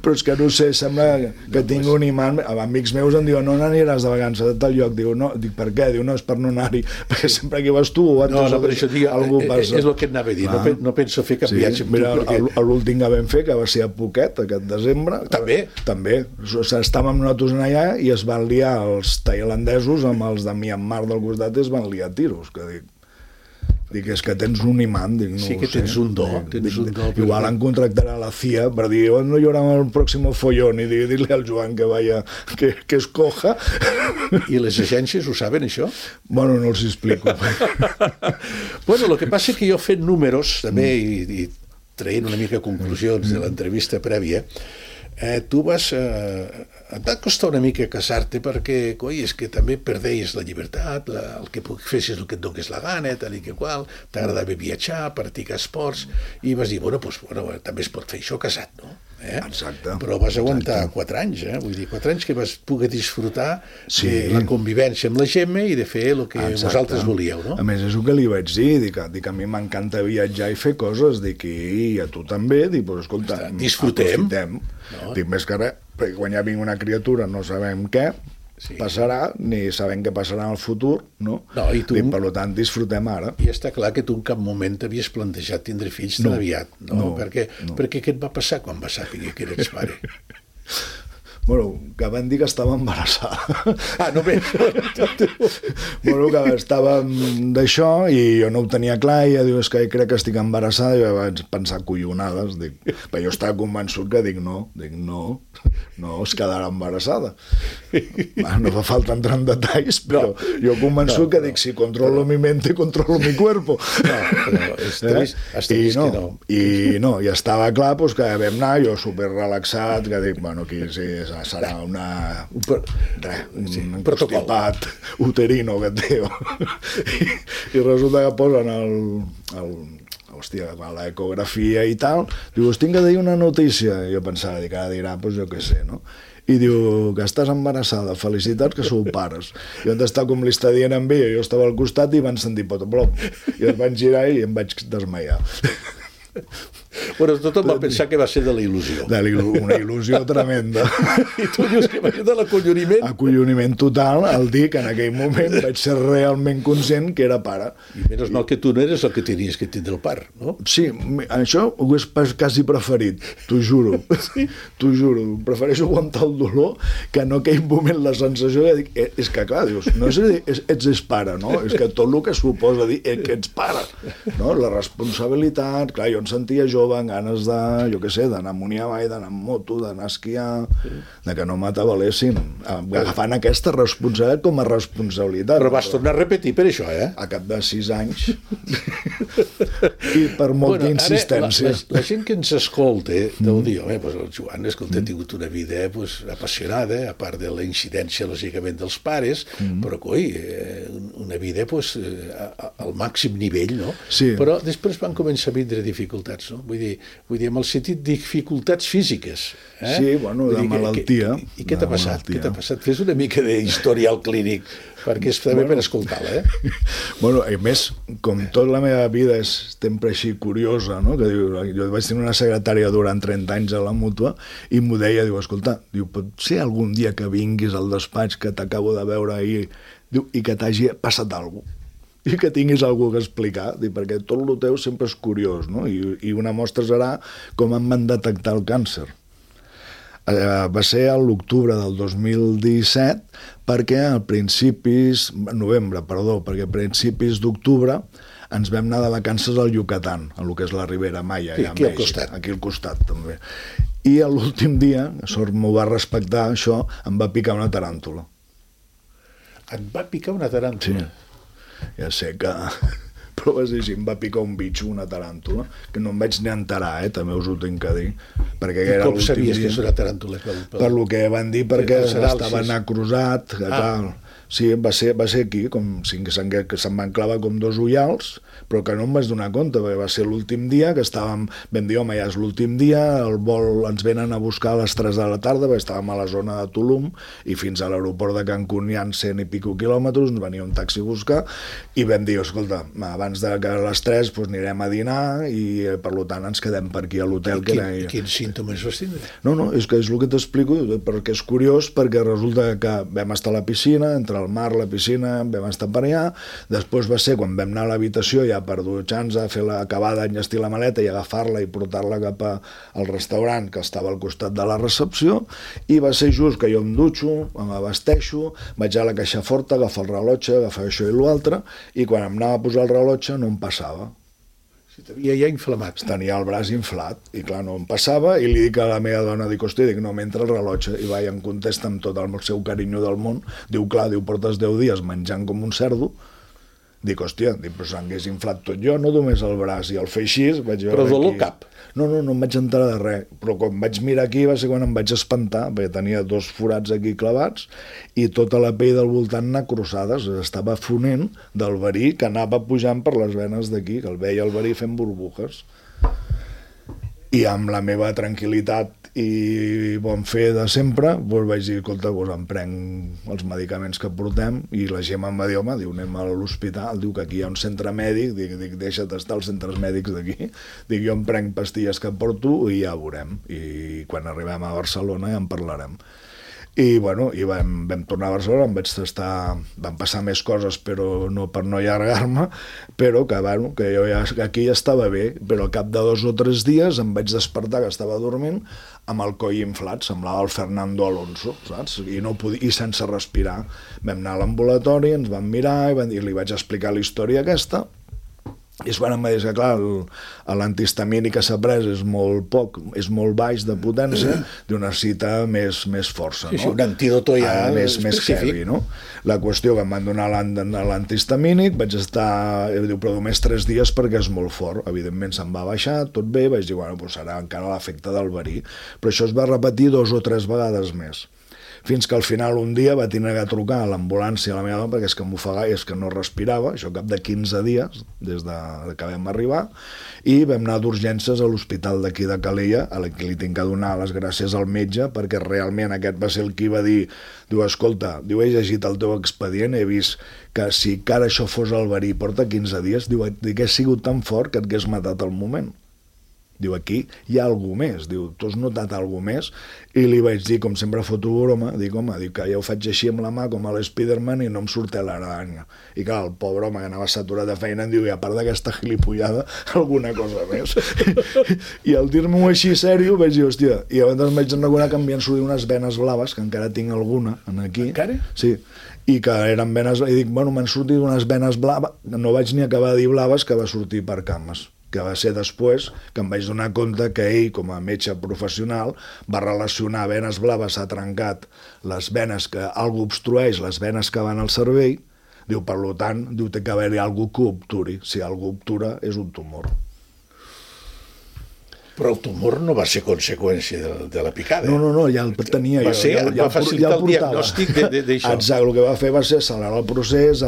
S3: Però és que no sé, sembla que tinc un imant. Amics meus em diuen, no n'aniràs de vacances a tal lloc. Diu, per què? Diu, no, és per no anar-hi. Perquè sempre que vas tu...
S2: No, per això dic, és el que et anava a dir. No penso fer cap viatge.
S3: Mira, l'últim que vam fer, que va ser a Phuket, aquest desembre... També. Estàvem nosaltres allà i es van liar els tailandesos amb els de Myanmar del costat i es van liar tiros, que dic, és que tens un imant, dic, no
S2: sí que tens un do,
S3: igual en contractarà la CIA per dir, no hi haurà el pròxim follón i dir-li al Joan que vaya, que escoja.
S2: I les agències ho saben, això?
S3: Bueno, no els explico.
S2: Bueno, el que passa és que jo fent números també i traient una mica conclusions de l'entrevista prèvia, tu vas... et va costar una mica casar-te perquè, coi, és que també perdeies la llibertat, el que fessis el que et donés la gana, tal i que qual, t'agradava viatjar, practicar esports, i vas dir, bueno, també es pot fer això casat, no?
S3: Exacte.
S2: Però vas aguantar 4 anys, vull dir, 4 anys que vas poder disfrutar de la convivència amb la Gemma i de fer el que vosaltres volíeu, no?
S3: A més, és el que li vaig dir, dic, a mi m'encanta viatjar i fer coses, dic, i a tu també, dic, però escolta,
S2: disfrutem.
S3: Dic, més que res, perquè quan ja vinc una criatura no sabem què passarà, ni sabem què passarà en el futur, no? Dic, per tant, disfrutem ara.
S2: I està clar que tu en cap moment t'havies plantejat tindre fills tan aviat, no? Perquè què et va passar quan vas saber que eres pare?
S3: Bueno, que van dir que estava embarassada.
S2: Ah, només.
S3: Bueno, que estàvem d'això i jo no ho tenia clar i ella diu, és que crec que estic embarassada, i jo vaig pensar collonades, però jo estava convençut que no, es quedarà embarassada. No fa falta entrar en detalls, però jo convençut que dic, si controlo mi mente, controlo mi cuerpo.
S2: No, però has vist que no.
S3: I estava clar doncs, que vam anar, jo super relaxat, que dic, bueno, aquí sí, serà un constipat uterino que et diu. I resulta que posen a l'ecografia i tal, diu, us tinc que dir una notícia. I jo pensava, dic, ara dirà, doncs jo què sé, no? I diu, que estàs embarassada, felicitats que sou pares. I on està com li està dient amb ella, jo estava al costat i van sentir potoplom. I es van girar i em vaig desmaiar.
S2: Bueno, tothom va pensar que va ser de la il·lusió.
S3: Una il·lusió tremenda.
S2: I tu dius que va ser de l'acolloniment?
S3: Acolloniment total, al dir que en aquell moment vaig ser realment conscient que era pare.
S2: I menys mal que tu no eres el que tenies que tindre el part, no?
S3: Sí, això ho és quasi preferit, t'ho juro. Sí? T'ho juro, prefereixo aguantar el dolor que en aquell moment la sensació de dir, és que clar, dius, no és a dir, ets pare, no? És que tot el que suposa dir que ets pare, no? La responsabilitat, clar, jo em sentia jove, amb ganes de, jo què sé, d'anar a Muniavall, d'anar amb moto, d'anar a esquiar, de que no m'atabalessin, agafant aquesta responsabilitat com a responsabilitat.
S2: Però vas tornar a repetir per això, eh?
S3: A cap de 6 anys. I per molta insistència.
S2: La gent que ens escolta deu dir, pues el Joan, escolta, ha tingut una vida apassionada, a part de la incidència, lògicament, dels pares, però, coi, una vida al màxim nivell, no?
S3: Sí.
S2: Però després van començar a vindre dificultats, no? Vull dir, en el sentit de dificultats físiques.
S3: Sí, bueno, de malaltia.
S2: I què t'ha passat? Què t'ha passat? Fes una mica d'historial clínic, perquè és també per escoltar-la, eh?
S3: Bueno, a més, com tota la meva vida és sempre així curiosa, no? Que diu, jo vaig tenir una secretària durant 30 anys a la Mútua i m'ho deia, diu, escolta, diu, pot ser algun dia que vinguis al despatx que t'acabo de veure ahir, diu, i que t'hagi passat alguna cosa, i que tinguis alguna cosa a explicar, perquè tot el teu sempre és curiós, no? I una mostra serà com em van detectar el càncer. Va ser a l'octubre del 2017, perquè a principis d'octubre ens vam anar de vacances al Yucatán, a lo que és la Ribera Maya,
S2: aquí al costat.
S3: Aquí al costat, també. I l'últim dia, sort m'ho va respectar, això, em va picar una taràntula.
S2: Et va picar una taràntula?
S3: Sí. Ja sé que... Però va ser així, em va picar un bitxo, una taràntula, que no em vaig ni enterar, també us ho tinc que dir. Perquè
S2: I com sabies que és una taràntula?
S3: Per lo que van dir, perquè estava necrosat, que tal... Sí, va ser aquí, com si se'm van clavar com 2 ullals, però que no em vaig donar compte, perquè va ser l'últim dia que vam dir, home, ja és l'últim dia, el vol ens venen a buscar a les 3 de la tarda, perquè estàvem a la zona de Tulum, i fins a l'aeroport de Cancún hi ha 100 i pico quilòmetres, ens venia un taxi a buscar, i vam dir, escolta, abans de que a les 3 anirem a dinar, i per tant ens quedem per aquí a l'hotel.
S2: Quins símptomes vas tindre?
S3: No, és que és el que t'explico, perquè és curiós, perquè resulta que vam estar a la piscina, entre el mar, la piscina, vam estar per allà, després va ser quan vam anar a l'habitació ja per dutxar-nos, a fer acabar d'enllestir la maleta i agafar-la i portar-la cap al restaurant que estava al costat de la recepció, i va ser just que jo em dutxo, m'abasteixo, vaig a la caixa forta, agafar el rellotge, agafar això i l'altre, i quan em anava a posar el rellotge no em passava.
S2: T'havia ja inflamat.
S3: Tenia el braç inflat, i clar, no em passava, i li dic a la meva dona, dic, hòstia, no m'entra el rellotge, i va, i em contesta amb tot el seu carinyo del món, diu, clar, portes 10 dies menjant com un cerdo, dic, hòstia, però s'hagués inflat tot jo, no només el braç, i el fer així, vaig veure.
S2: Però dolor cap?
S3: No em vaig enterar de res, però quan vaig mirar aquí va ser quan em vaig espantar, perquè tenia 2 forats aquí clavats i tota la pell del voltant necrosades, estava fonent del verí que anava pujant per les venes d'aquí, que el veia el verí fent burbujes. I amb la meva tranquil·litat i bon fer de sempre, vaig dir, escolta, em prenc els medicaments que portem, i la Gemma em va dir, home, anem a l'hospital, diu que aquí hi ha un centre mèdic, dic, deixa't estar als centres mèdics d'aquí, dic, jo em prenc pastilles que porto i ja veurem, i quan arribem a Barcelona ja en parlarem. I vam tornar a Barcelona, van passar més coses, però no per no allargar-me, però que jo aquí ja estava bé, però al cap de 2 o 3 dies em vaig despertar, que estava dormint, amb el coll inflat, semblava el Fernando Alonso, saps? I sense respirar. Vam anar a l'ambulatori, ens van mirar i li vaig explicar la història aquesta, i es van dir que, clar, l'antihistamínic que s'ha pres és molt baix de potència, necessita més força, no?
S2: Sí, un antídoto ja
S3: més heavy, no? La qüestió que em van donar l'antihistamínic, vaig estar, però només 3 dies perquè és molt fort, evidentment se'm va baixar, tot bé, vaig dir, serà encara l'efecte del verí, però això es va repetir 2 o 3 vegades més. Fins que al final un dia va tenir que trucar a l'ambulància a la meva dona perquè és que m'ofegava, és que no respirava, això cap de 15 dies des que vam arribar, i vam anar d'urgències a l'hospital d'aquí de Calella, a la que li tinc que donar les gràcies al metge, perquè realment aquest va ser el qui va dir, escolta, he llegit el teu expedient, he vist que si encara això fos el verí porta 15 dies, que ha sigut tan fort que et hagués matat al moment. Aquí hi ha alguna més, tu has notat alguna més? I li vaig dir, com sempre foto broma, que ja ho faig així amb la mà com a l'Spiderman i no em sortia l'aranya. I clar, el pobre home que anava saturat de feina em diu, i a part d'aquesta gilipollada, alguna cosa més. I al dir-m'ho així sèrio vaig dir, hòstia, i llavors vaig recordar que em havien sortit unes venes blaves, que encara tinc alguna aquí.
S2: Encara?
S3: Sí, i que eren venes, i dic, m'han sortit unes venes blaves, no vaig ni acabar de dir blaves, que va sortir per cames, que va ser després que em vaig donar compte que ell, com a metge professional, va relacionar venes blaves, ha trencat les venes, que algú obstrueix les venes que van al cervell, per tant, té que haver-hi algú que obturi. Si algú obtura, és un tumor.
S2: Però el tumor no va ser conseqüència de la picada.
S3: No, ja el tenia jo.
S2: Va facilitar el diagnòstic d'això.
S3: Exacte, el que va fer va ser accelerar el procés,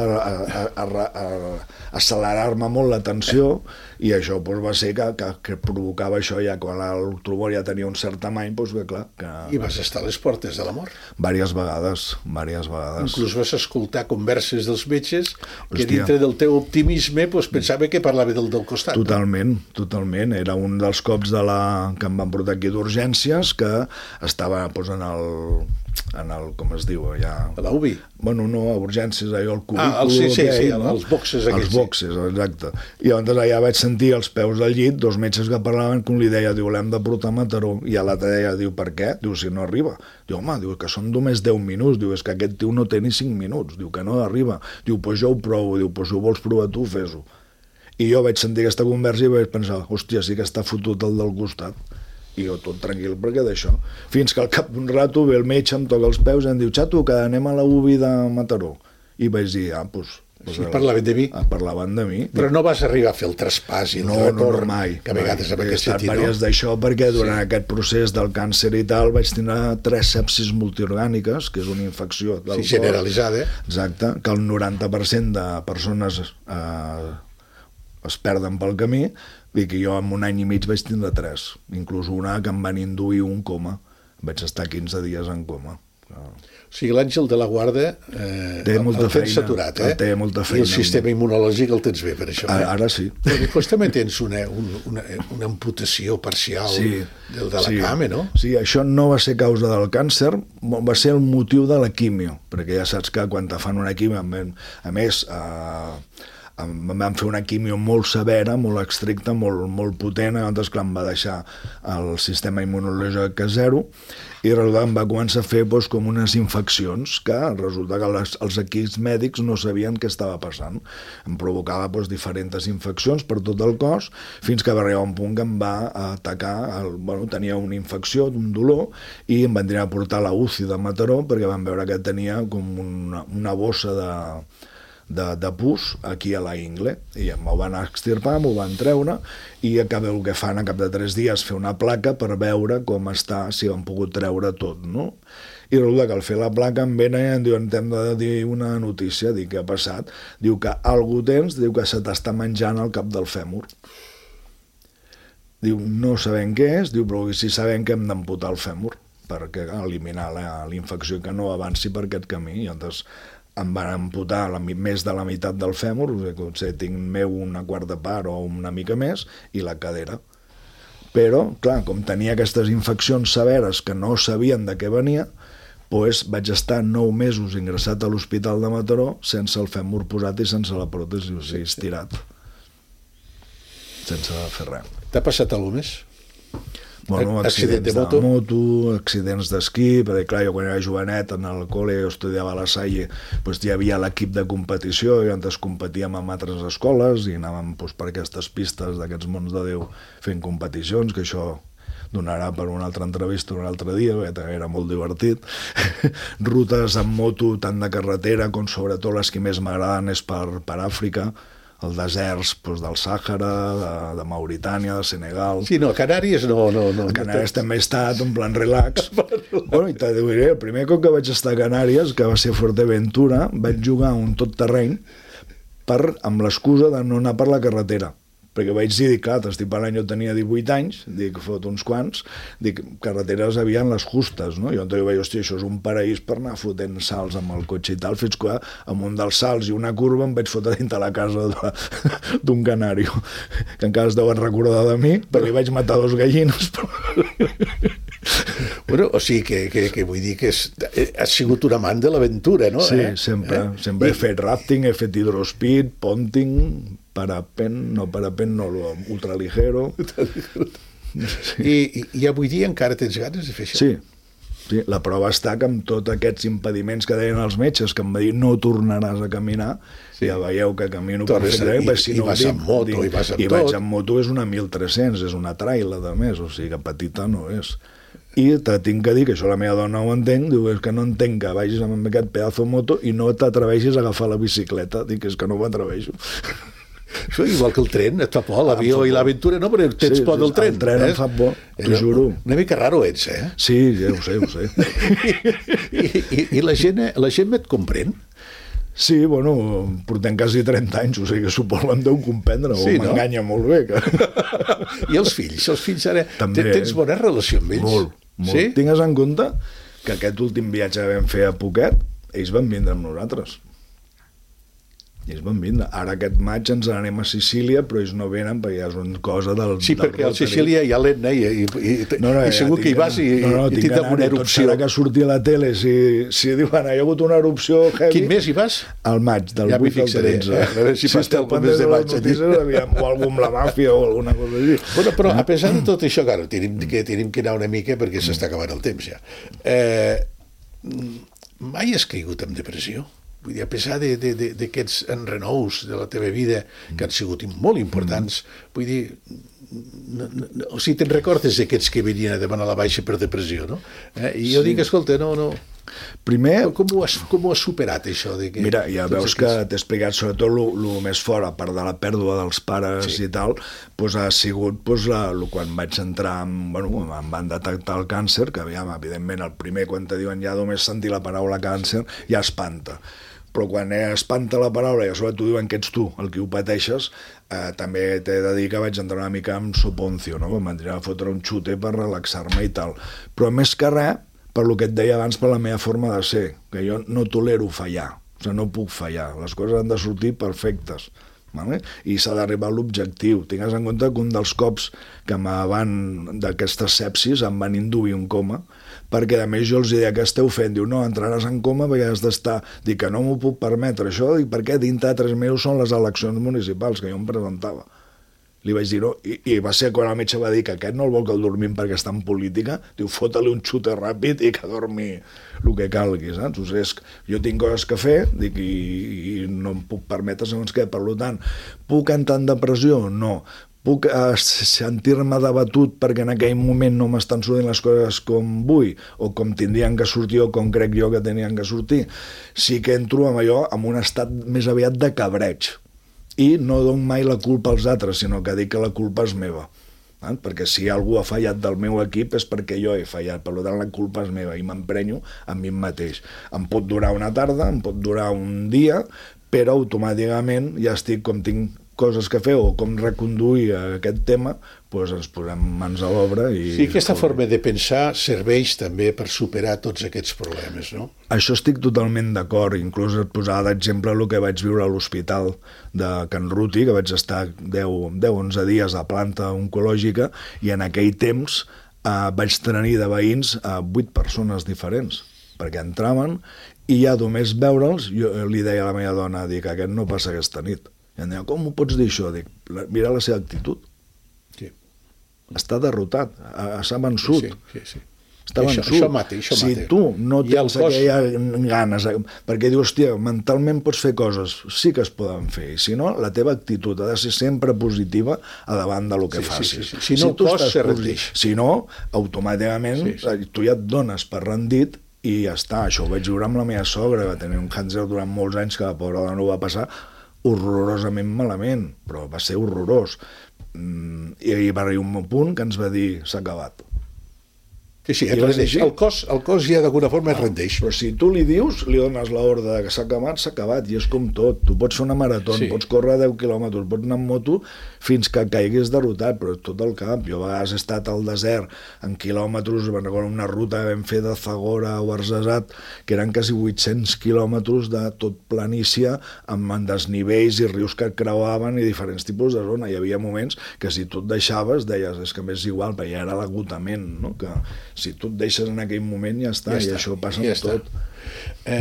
S3: accelerar-me molt la tensió, i això va ser que provocava això, ja quan el tumor ja tenia un cert tamany, que clar...
S2: I vas estar a les portes de la mort?
S3: Vàries vegades.
S2: Inclús vas escoltar converses dels metges que dintre del teu optimisme pensava que parlava del costat.
S3: Totalment. Era un dels cops que em van portar aquí d'urgències, que estava en el, com es diu, allà...
S2: A la UBI?
S3: Bueno, no, a urgències, allò, el cubícul...
S2: Sí, els boxes aquells.
S3: Els boxes, exacte. I llavors allà vaig sentir als peus del llit 2 metges que parlaven, que un li deia, l'hem de portar a Mataró, i l'altre deia, per què? Si no arriba. Home, que són només 10 minuts, és que aquest tio no té ni 5 minuts, que no arriba. Jo ho provo, si ho vols provar tu, fes-ho. I jo vaig sentir aquesta conversa i vaig pensar, hòstia, sí que està fotut el del costat. I jo tot tranquil perquè d'això. Fins que al cap d'un rato ve el metge, em toca els peus i em diu, xato, que anem a la UBI de Mataró. I vaig dir,
S2: Sí, parlaven de mi.
S3: Parlaven de mi.
S2: Però no vas arribar a fer el traspàs i el retorn,
S3: no, mai.
S2: Que a vegades en aquest sentit,
S3: no? He estat d'això perquè durant aquest procés del càncer i tal vaig tenir 3 sepsis multiorgàniques, que és una infecció del cor.
S2: Generalitzada.
S3: Exacte, que el 90% de persones es perden pel camí, i que jo en 1 any i mig vaig tindre 3, inclús una que em van induir un coma. Vaig estar 15 dies en coma.
S2: O sigui, l'Àngel de la Guarda el tens saturat,
S3: té molta feina.
S2: I el sistema immunològic el tens bé, per això.
S3: Ara sí.
S2: Però després també tens una amputació parcial de la cama, no?
S3: Sí, això no va ser causa del càncer, va ser el motiu de la quimio, perquè ja saps que quan te fan una quimio, a més... em van fer una quimio molt severa, molt estricta, molt potent, llavors clar, em va deixar el sistema immunològic a 0, i resulta que em va començar a fer com unes infeccions que resulta que els equips mèdics no sabien què estava passant. Em provocava diferents infeccions per tot el cos, fins que va arribar un punt que em va atacar, tenia una infecció, un dolor, i em van tenir a portar a la UCI de Mataró perquè van veure que tenia com una bossa de pus aquí a la ingle, i m'ho van extirpar, m'ho van treure, i el que fan a cap de 3 dies fer una placa per veure com està, si han pogut treure tot, no? I resulta que al fer la placa em venen i em diuen, t'hem de dir una notícia, dic, què ha passat? Diu que algú tens, diu que se t'està menjant el cap del fèmur. Diu, no sabem què és, diu, però sí sabem que hem d'amputar el fèmur perquè eliminar la infecció que no avanci per aquest camí, i llavors em van amputar més de la meitat del fèmur, potser tinc meu una quarta part o una mica més, i la cadera. Però, clar, com tenia aquestes infeccions severes que no sabien de què venia, doncs vaig estar 9 mesos ingressat a l'Hospital de Mataró sense el fèmur posat i sense la pròtesi, o sigui, estirat. Sense fer res.
S2: T'ha passat alguna més?
S3: Bueno,
S2: Accident de
S3: moto, accidents d'esquí, perquè clar, jo quan era jovenet en el col·le, jo estudiava a la Salle, doncs hi havia l'equip de competició i antes competíem amb altres escoles i anàvem doncs, per aquestes pistes d'aquests mons de Déu fent competicions, que això donarà per una altra entrevista un altre dia, perquè era molt divertit. Rutes amb moto, tant de carretera com sobretot les que més m'agraden és per Àfrica, els deserts doncs, del Sàhara, de Mauritània, de Senegal.
S2: Sí, no, a Canàries no.
S3: A Canàries també he estat, en plan relax. Bueno, i te diré, el primer cop que vaig estar a Canàries, que va ser a Fuerteventura, vaig jugar un tot terreny amb l'excusa de no anar per la carretera. Perquè vaig dir, clar, t'estic parlant, jo tenia 18 anys, dic, fot uns quants, dic, carreteres havien les justes, no? Jo vaig, hòstia, això és un paraís per anar fotent salts amb el cotxe i tal, fins que amb un dels salts i una curva em vaig fotre dintre la casa d'un canari, que encara es deuen recordar de mi, perquè li vaig matar 2 gallines.
S2: Bueno, o sigui que vull dir que has sigut un amant de l'aventura, no?
S3: Sí, sempre. Sempre he fet rafting, he fet hidrospeed, ponting, parapent, ultraligero.
S2: I avui dia encara tens ganes de fer això?
S3: Sí, la prova està que amb tots aquests impediments que deien els metges, que em va dir no tornaràs a caminar, ja veieu que camino perfectament.
S2: I vas amb moto, i vas amb tot.
S3: I vaig amb moto, és una 1300, és una traila de més, o sigui que petita no és. I te tinc que dir, que això la meva dona ho entenc, diu, és que no entenc que vagis amb aquest pedazo de moto i no t'atreveixis a agafar la bicicleta. Dic, és que no m'atreveixo.
S2: Això igual que el tren, et fa por, l'avió i l'aventura, no? Però tens por del tren.
S3: El tren em fa por, t'ho juro.
S2: Una mica raro ets, eh?
S3: Sí, ja ho sé.
S2: I la gent et comprèn?
S3: Sí, bueno, portem quasi 30 anys, o sigui que suposo em deu comprendre, sí, o m'enganya molt bé.
S2: I els fills ara, tens bona relació amb ells?
S3: Molt.
S2: Sí?
S3: Tingues en compte que aquest últim viatge que vam fer a Phuket, ells van vindre amb nosaltres. Ells van vindre. Ara aquest maig ens n'anem a Sicília, però ells no venen perquè ja és una cosa del...
S2: Sí, perquè a Sicília hi ha l'Etna i segur que hi vas i tindrà una erupció.
S3: Ara que surti a la tele, si diuen, hi ha hagut una erupció heavy...
S2: Quin mes hi vas?
S3: Al maig, del 8 al 13.
S2: A veure si vas algun mes de maig.
S3: O algú amb la màfia o alguna cosa així.
S2: Bueno, però a pesar de tot això, clar, tenim que anar una mica perquè s'està acabant el temps ja. Mai has caigut en depressió? Vull dir, a pesar d'aquests enrenous de la teva vida que han sigut molt importants, vull dir, o sigui, te'n recordes d'aquests que venien a demanar la baixa per depressió, no? I jo dic, escolta, no...
S3: Primer...
S2: Com ho has superat, això?
S3: Mira, ja veus que t'he explicat sobretot el més fort, a part de la pèrdua dels pares i tal, doncs ha sigut quan vaig entrar, em van detectar el càncer, que evidentment el primer, quan te diuen ja només sentir la paraula càncer, ja espanta. Però quan espanta la paraula i a sobre t'ho diuen que ets tu el que ho pateixes, també t'he de dir que vaig entrar una mica amb soponcio, no? Em van a fotre un xute per relaxar-me i tal. Però més que res, per lo que et deia abans, per la meva forma de ser, que jo no tolero fallar, o sigui, no puc fallar, les coses han de sortir perfectes. Vale? I s'ha d'arribar a l'objectiu. Tingues en compte que un dels cops que d'aquestes sepsis em van induir un coma, perquè a més jo els deia que esteu fent, diu, no, entraràs en coma perquè has d'estar, dic que no m'ho puc permetre això, dic, perquè dintre de 3 mesos són les eleccions municipals que jo em presentava. Li vaig dir, no, i va ser quan el metge va dir que aquest no el vol que el dormim perquè està en política, diu, fota-li un xute ràpid i que dormi el que calgui, saps? O sigui, jo tinc coses que fer, dic, i no em puc permetre segons què, per tant, puc entrar en depressió? No. Puc sentir-me debatut perquè en aquell moment no m'estan sortint les coses com vull, o com tindrien que sortir, o com crec jo que tenien que sortir. Sí que entro amb allò, en un estat més aviat de cabreig, i no dono mai la culpa als altres, sinó que dic que la culpa és meva. Perquè si algú ha fallat del meu equip és perquè jo he fallat, per tant la culpa és meva i m'emprenyo amb mi mateix. Em pot durar una tarda, em pot durar un dia, però automàticament ja estic, com tinc coses que fer o com reconduir aquest tema, doncs ens posem mans a l'obra.
S2: Sí, aquesta forma de pensar serveix també per superar tots aquests problemes, no?
S3: Això estic totalment d'acord, inclús et posava d'exemple el que vaig viure a l'hospital de Can Ruti, que vaig estar 10-11 dies a planta oncològica, i en aquell temps vaig tenir de veïns 8 persones diferents. perquè entraven i ja només veure'ls, jo li deia a la meva dona, dic, aquest no passa aquesta nit. I em deia, com ho pots dir això? Dic, mira la seva actitud.
S2: Sí.
S3: Està derrotat, s'ha vençut.
S2: Sí.
S3: Està vençut.
S2: Això mata.
S3: Si tu no tens aquelles ganes, perquè dius, hòstia, mentalment pots fer coses, sí que es poden fer, i si no, la teva actitud ha de ser sempre positiva a davant del que facis.
S2: Si no el cos se rendeix.
S3: Si no, automàticament tu ja et dones per rendit i ja està. Això ho vaig viure amb la meva sogra, va tenir un càncer durant molts anys que la pobra dona ho va passar horrorosament malament, però va ser horrorós. I va arribar un punt que ens va dir, s'ha acabat.
S2: Sí, el cos ja d'alguna forma es rendeix.
S3: Però si tu li dius, li dones l'ordre que s'ha acabat, i és com tot. Tu pots fer una marató, pots córrer 10 quilòmetres, pots anar amb moto fins que caiguis derrotat, però tot el camp. Jo a vegades he estat al desert en quilòmetres, me'n recordo una ruta que vam fer de Zagora o Arzazat, que eren quasi 800 quilòmetres de tot planícia, amb desnivells i rius que creuaven i diferents tipus de zona. Hi havia moments que si tu et deixaves, deies, és que m'és igual, perquè ja era l'agotament, no? Que si tu et deixes en aquell moment ja està, i això passa amb tot.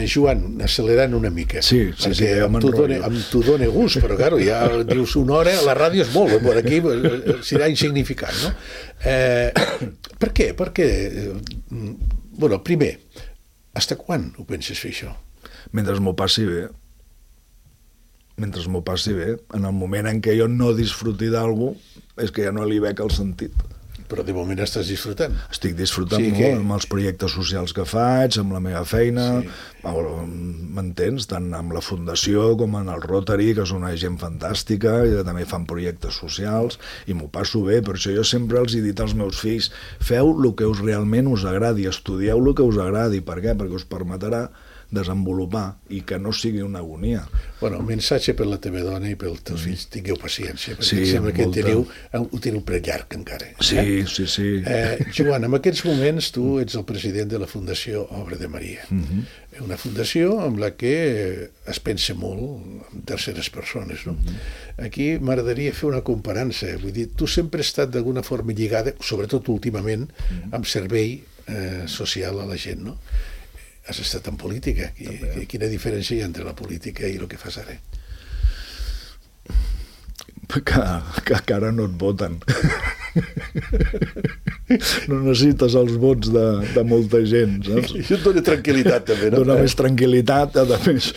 S2: Joan, accelerant una mica,
S3: perquè
S2: amb tu dona gust, però claro, ja dius una hora, la ràdio és molt, per aquí serà insignificant, no? Per què? Bueno, primer, fins quan ho penses fer això?
S3: Mentre m'ho passi bé. En el moment en què jo no disfruti d'algú, és que ja no li veig el sentit.
S2: Però de moment estàs disfrutant.
S3: Estic disfrutant molt amb els projectes socials que faig, amb la meva feina, m'entens? Tant amb la Fundació com en el Rotary, que és una gent fantàstica, i també fan projectes socials, i m'ho passo bé. Per això jo sempre els he dit als meus fills, feu el que realment us agradi, estudieu el que us agradi. Per què? Perquè us permetrà desenvolupar i que no sigui una agonia.
S2: Bueno, missatge per la teva dona i pels teus fills, tingueu paciència, perquè sembla que ho teniu per llarg encara.
S3: Sí.
S2: Joan, en aquests moments tu ets el president de la Fundació Obra de Maria, una fundació amb la que es pensa molt en terceres persones, no? Aquí m'agradaria fer una comparança, vull dir, tu sempre has estat d'alguna forma lligada, sobretot últimament, amb servei social a la gent, no? Has estat en política. Quina diferència hi ha entre la política i el que fas ara?
S3: Que ara no et voten. No necessites els vots de molta gent, saps?
S2: Això et dona tranquil·litat, també, no?
S3: Dona més tranquil·litat, a més,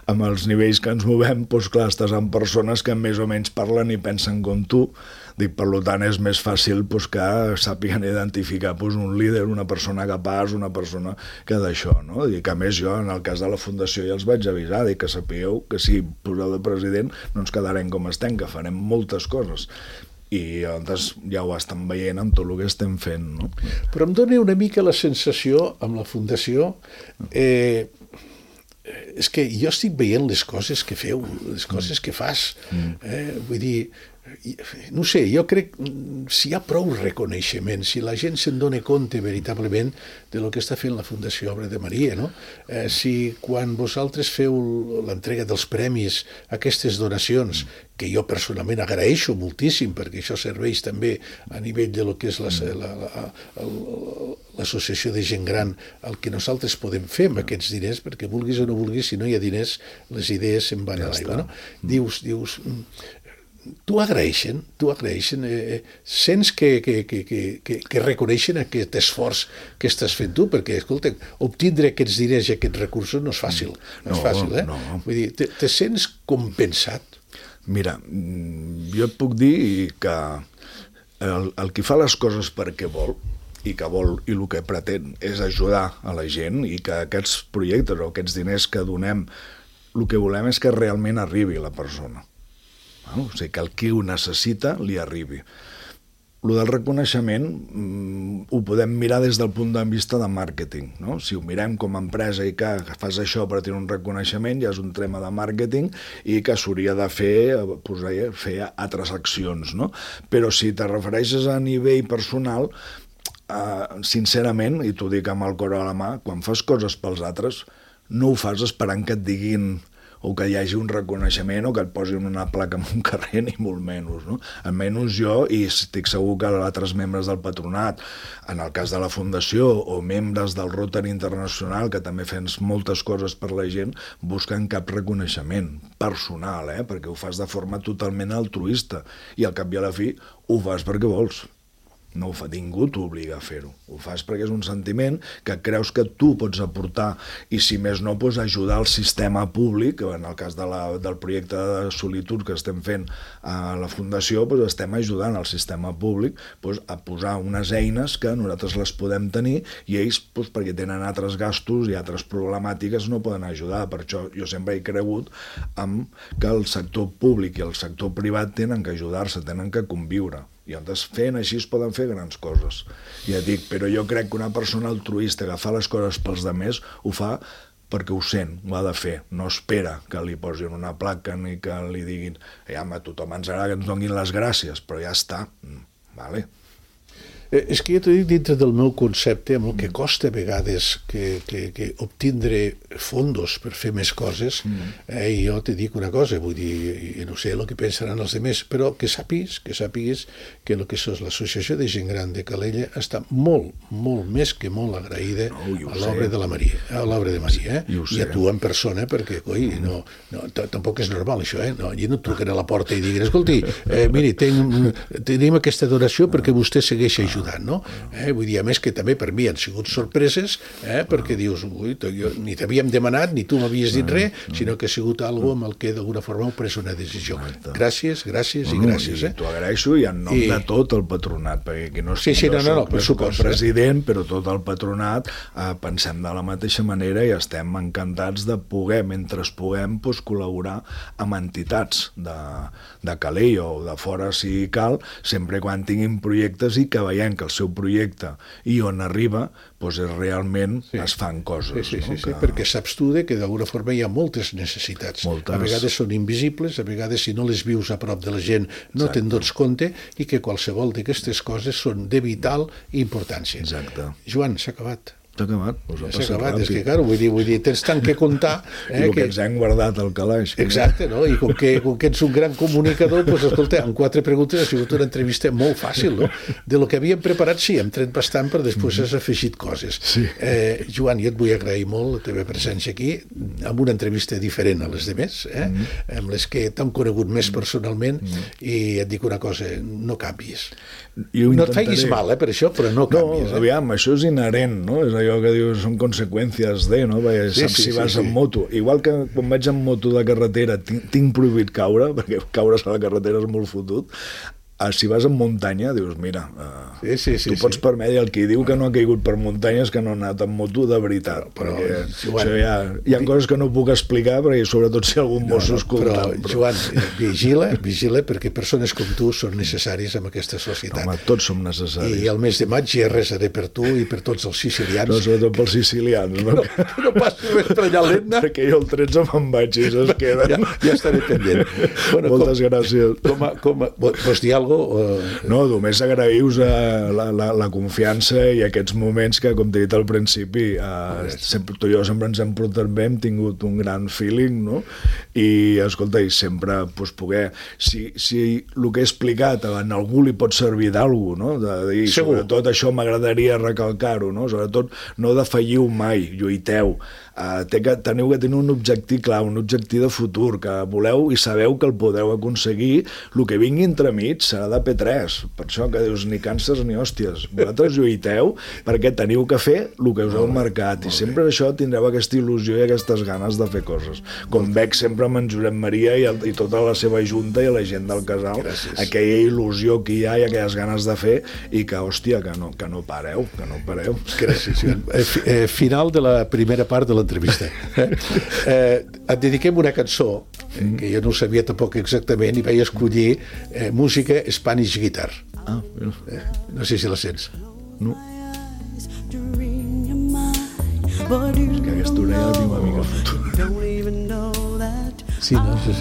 S3: amb els nivells que ens movem, doncs clar, estàs amb persones que més o menys parlen i pensen com tu. Dic, per tant, és més fàcil que sàpiguen identificar un líder, una persona capaç, una persona que d'això, no? Dic, a més, jo, en el cas de la Fundació, ja els vaig avisar, dic que sapigueu que si poseu de president no ens quedarem com estem, que farem moltes coses. I llavors ja ho estan veient amb tot el que estem fent, no?
S2: Però em dona una mica la sensació, amb la Fundació, és que jo estic veient les coses que feu, les coses que fas. Vull dir, no sé, jo crec si hi ha prou reconeixement, si la gent se'n dona compte veritablement de lo que està fent la Fundació Obra de Maria, no? Si quan vosaltres feu l'entrega dels premis, aquestes donacions, que jo personalment agraeixo moltíssim, perquè això serveix també a nivell de lo que és l'associació de gent gran, el que nosaltres podem fer amb aquests diners, perquè vulguis o no vulguis, si no hi ha diners, les idees se'n van a l'aigua, no? Dius, t'ho agraeixen, sents que reconeixen aquest esforç que estàs fent tu, perquè, escolta, obtindre aquests diners i aquests recursos no és fàcil,
S3: No.
S2: Vull dir, te sents compensat?
S3: Mira, jo et puc dir que el que fa les coses perquè vol, i el que pretén és ajudar a la gent, i que aquests projectes o aquests diners que donem, el que volem és que realment arribi a la persona. O sigui, que el que ho necessita li arribi. El del reconeixement ho podem mirar des del punt de vista de màrqueting, no? Si ho mirem com a empresa i que fas això per tenir un reconeixement, ja és un tema de màrqueting i que s'hauria de fer altres accions, no? Però si te refereixes a nivell personal, sincerament, i t'ho dic amb el cor a la mà, quan fas coses pels altres, no ho fas esperant que et diguin o que hi hagi un reconeixement o que et posin una placa en un carrer, ni molt menys, no? Almenys jo, i estic segur que altres membres del patronat, en el cas de la Fundació, o membres del Rotary Internacional, que també fem moltes coses per la gent, busquen cap reconeixement personal, perquè ho fas de forma totalment altruista, i al cap i a la fi ho fas perquè vols. No ho fa, ningú t'obliga a fer-ho. Ho fas perquè és un sentiment que creus que tu pots aportar i, si més no, pots ajudar el sistema públic. En el cas del projecte de Solitud que estem fent a la Fundació, doncs estem ajudant el sistema públic a posar unes eines que nosaltres les podem tenir i ells, perquè tenen altres gastos i altres problemàtiques, no poden ajudar. Per això jo sempre he cregut que el sector públic i el sector privat tenen que ajudar-se, tenen que conviure. I llavors fent així es poden fer grans coses. Ja dic, però jo crec que una persona altruista que fa les coses pels altres ho fa perquè ho sent, ho ha de fer. No espera que li posin una placa ni que li diguin a tothom ens agrada que ens donin les gràcies, però ja està. Vale.
S2: És que jo t'ho dic dintre del meu concepte, amb el que costa a vegades que obtindre fondos per fer més coses, i jo te dic una cosa, vull dir, no sé el que pensaran els altres, però que sàpigues que el que és l'Associació de Gent Gran de Calella està molt, molt més que molt agraïda a l'obra de la Maria, i a tu en persona, perquè, tampoc és normal això, jo no truquen a la porta i diguin, escolti, miri, tenim aquesta donació perquè vostè segueix ajudant, no? Vull dir, a més que també per mi han sigut sorpreses, perquè dius, ni t'havíem demanat, ni tu m'havies dit res, sinó que ha sigut algo amb el que d'alguna forma heu pres una decisió. Gràcies i gràcies.
S3: I t'ho agraeixo, i en nom de tot el patronat, perquè aquí no
S2: soc
S3: el president, però tot el patronat pensem de la mateixa manera i estem encantats de poder, mentre puguem, col·laborar amb entitats de Calella o de fora si cal, sempre quan tinguin projectes i que veiem que el seu projecte i on arriba realment es fan coses.
S2: Sí, perquè saps tu que d'alguna forma hi ha moltes necessitats. A vegades són invisibles, a vegades si no les vius a prop de la gent no te'n dones compte, i que qualsevol d'aquestes coses són de vital importància.
S3: Exacte.
S2: Joan, s'ha acabat.
S3: S'ha acabat,
S2: s'ha acabat, és que, clar, vull dir, tens tant que contar...
S3: I el que ens hem guardat al calaix.
S2: Exacte, no? I com que ets un gran comunicador, doncs, escolta, amb 4 preguntes ha sigut una entrevista molt fàcil, no? De lo que havíem preparat, sí, hem tret bastant, però després has afegit coses. Joan, jo et vull agrair molt la teva presència aquí, amb una entrevista diferent a les demés, amb les que t'hem conegut més personalment, i et dic una cosa, no canvis. No et facis mal, per això, però no canvis.
S3: No, aviam, això és inherent, no? És allò que dius, són conseqüències de, no? Saps si vas en moto. Igual que quan vaig en moto de carretera tinc prohibit caure, perquè caure a la carretera és molt fotut. Si vas en muntanya, dius, mira, tu pots permetre, el que diu que no ha caigut per muntanyes que no ha anat en moto de veritat, perquè hi ha coses que no puc explicar, perquè sobretot si algun mosso escolta.
S2: Però, Joan, vigila, perquè persones com tu són necessaris en aquesta societat.
S3: Home, tots som necessaris.
S2: I el mes de maig ja resaré per tu i per tots els sicilians.
S3: No, sobretot pels sicilians, no?
S2: No passi res per allà l'Etna.
S3: Perquè jo el 13 me'n vaig i es queden.
S2: Ja estaré pendent.
S3: Moltes gràcies.
S2: Vols dir alguna cosa?
S3: No, només agraïu-vos la confiança i aquests moments que, com t'he dit al principi, tu i jo sempre ens hem portat bé, hem tingut un gran feeling, no? I, escolta, i sempre poder... Si el que he explicat a algú li pot servir d'algú, no? Sobretot això m'agradaria recalcar-ho, no? Sobretot no defalliu mai, lluiteu. Teniu que tenir un objectiu clar, un objectiu de futur, que voleu i sabeu que el podeu aconseguir. El que vingui entremig serà de P3, per això que dius ni càncers ni hòsties. Vosaltres lluiteu perquè teniu que fer el que us heu marcat, i sempre això tindreu aquesta il·lusió i aquestes ganes de fer coses. Com veig sempre amb en Josep Maria i tota la seva junta i la gent del casal, aquella il·lusió que hi ha i aquelles ganes de fer, i que, hòstia, que no pareu.
S2: Gràcies, Joan. Final de la primera part de l'entrevista. Et dediquem una cançó que jo no ho sabia tampoc exactament, i vaig escollir música Spanish Guitar. No sé si la sents.
S3: No. És que aquesta orella la tinc una mica fotuda.
S2: Sí, no? Sí.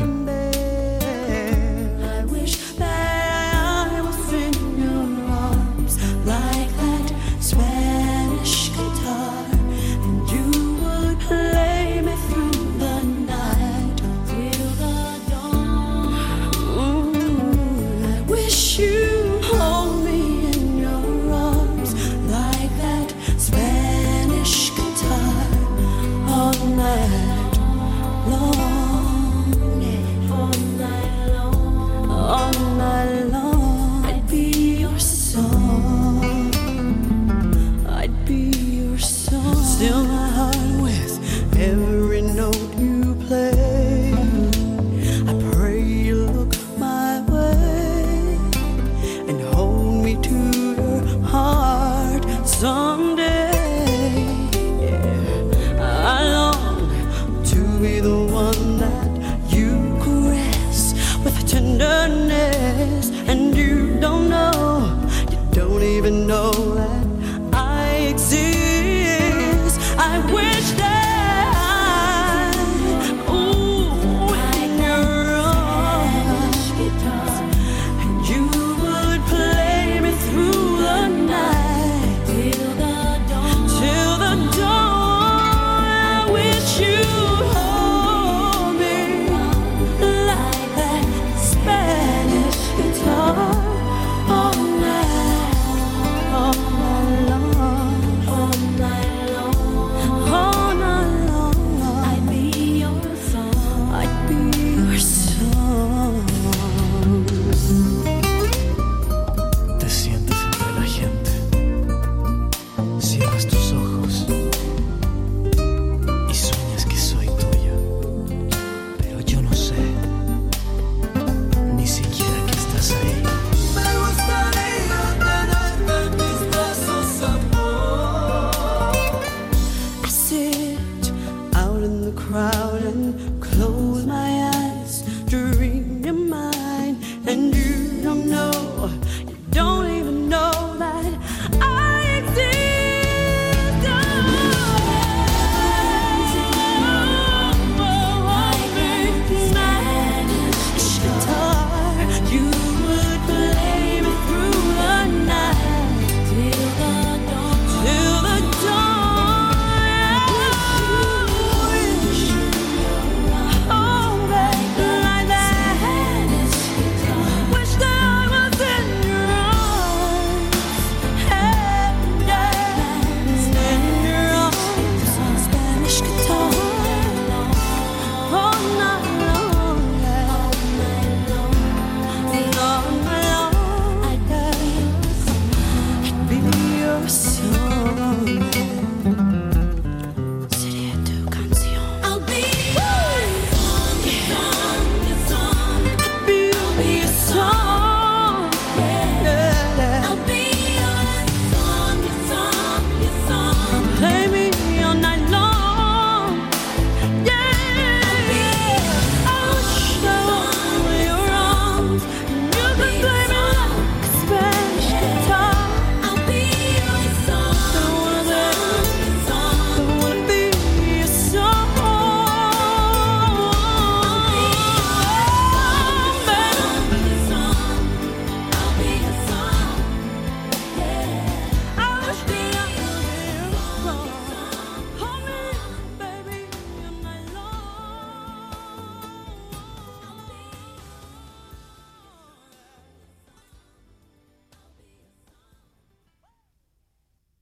S4: cierras tus ojos.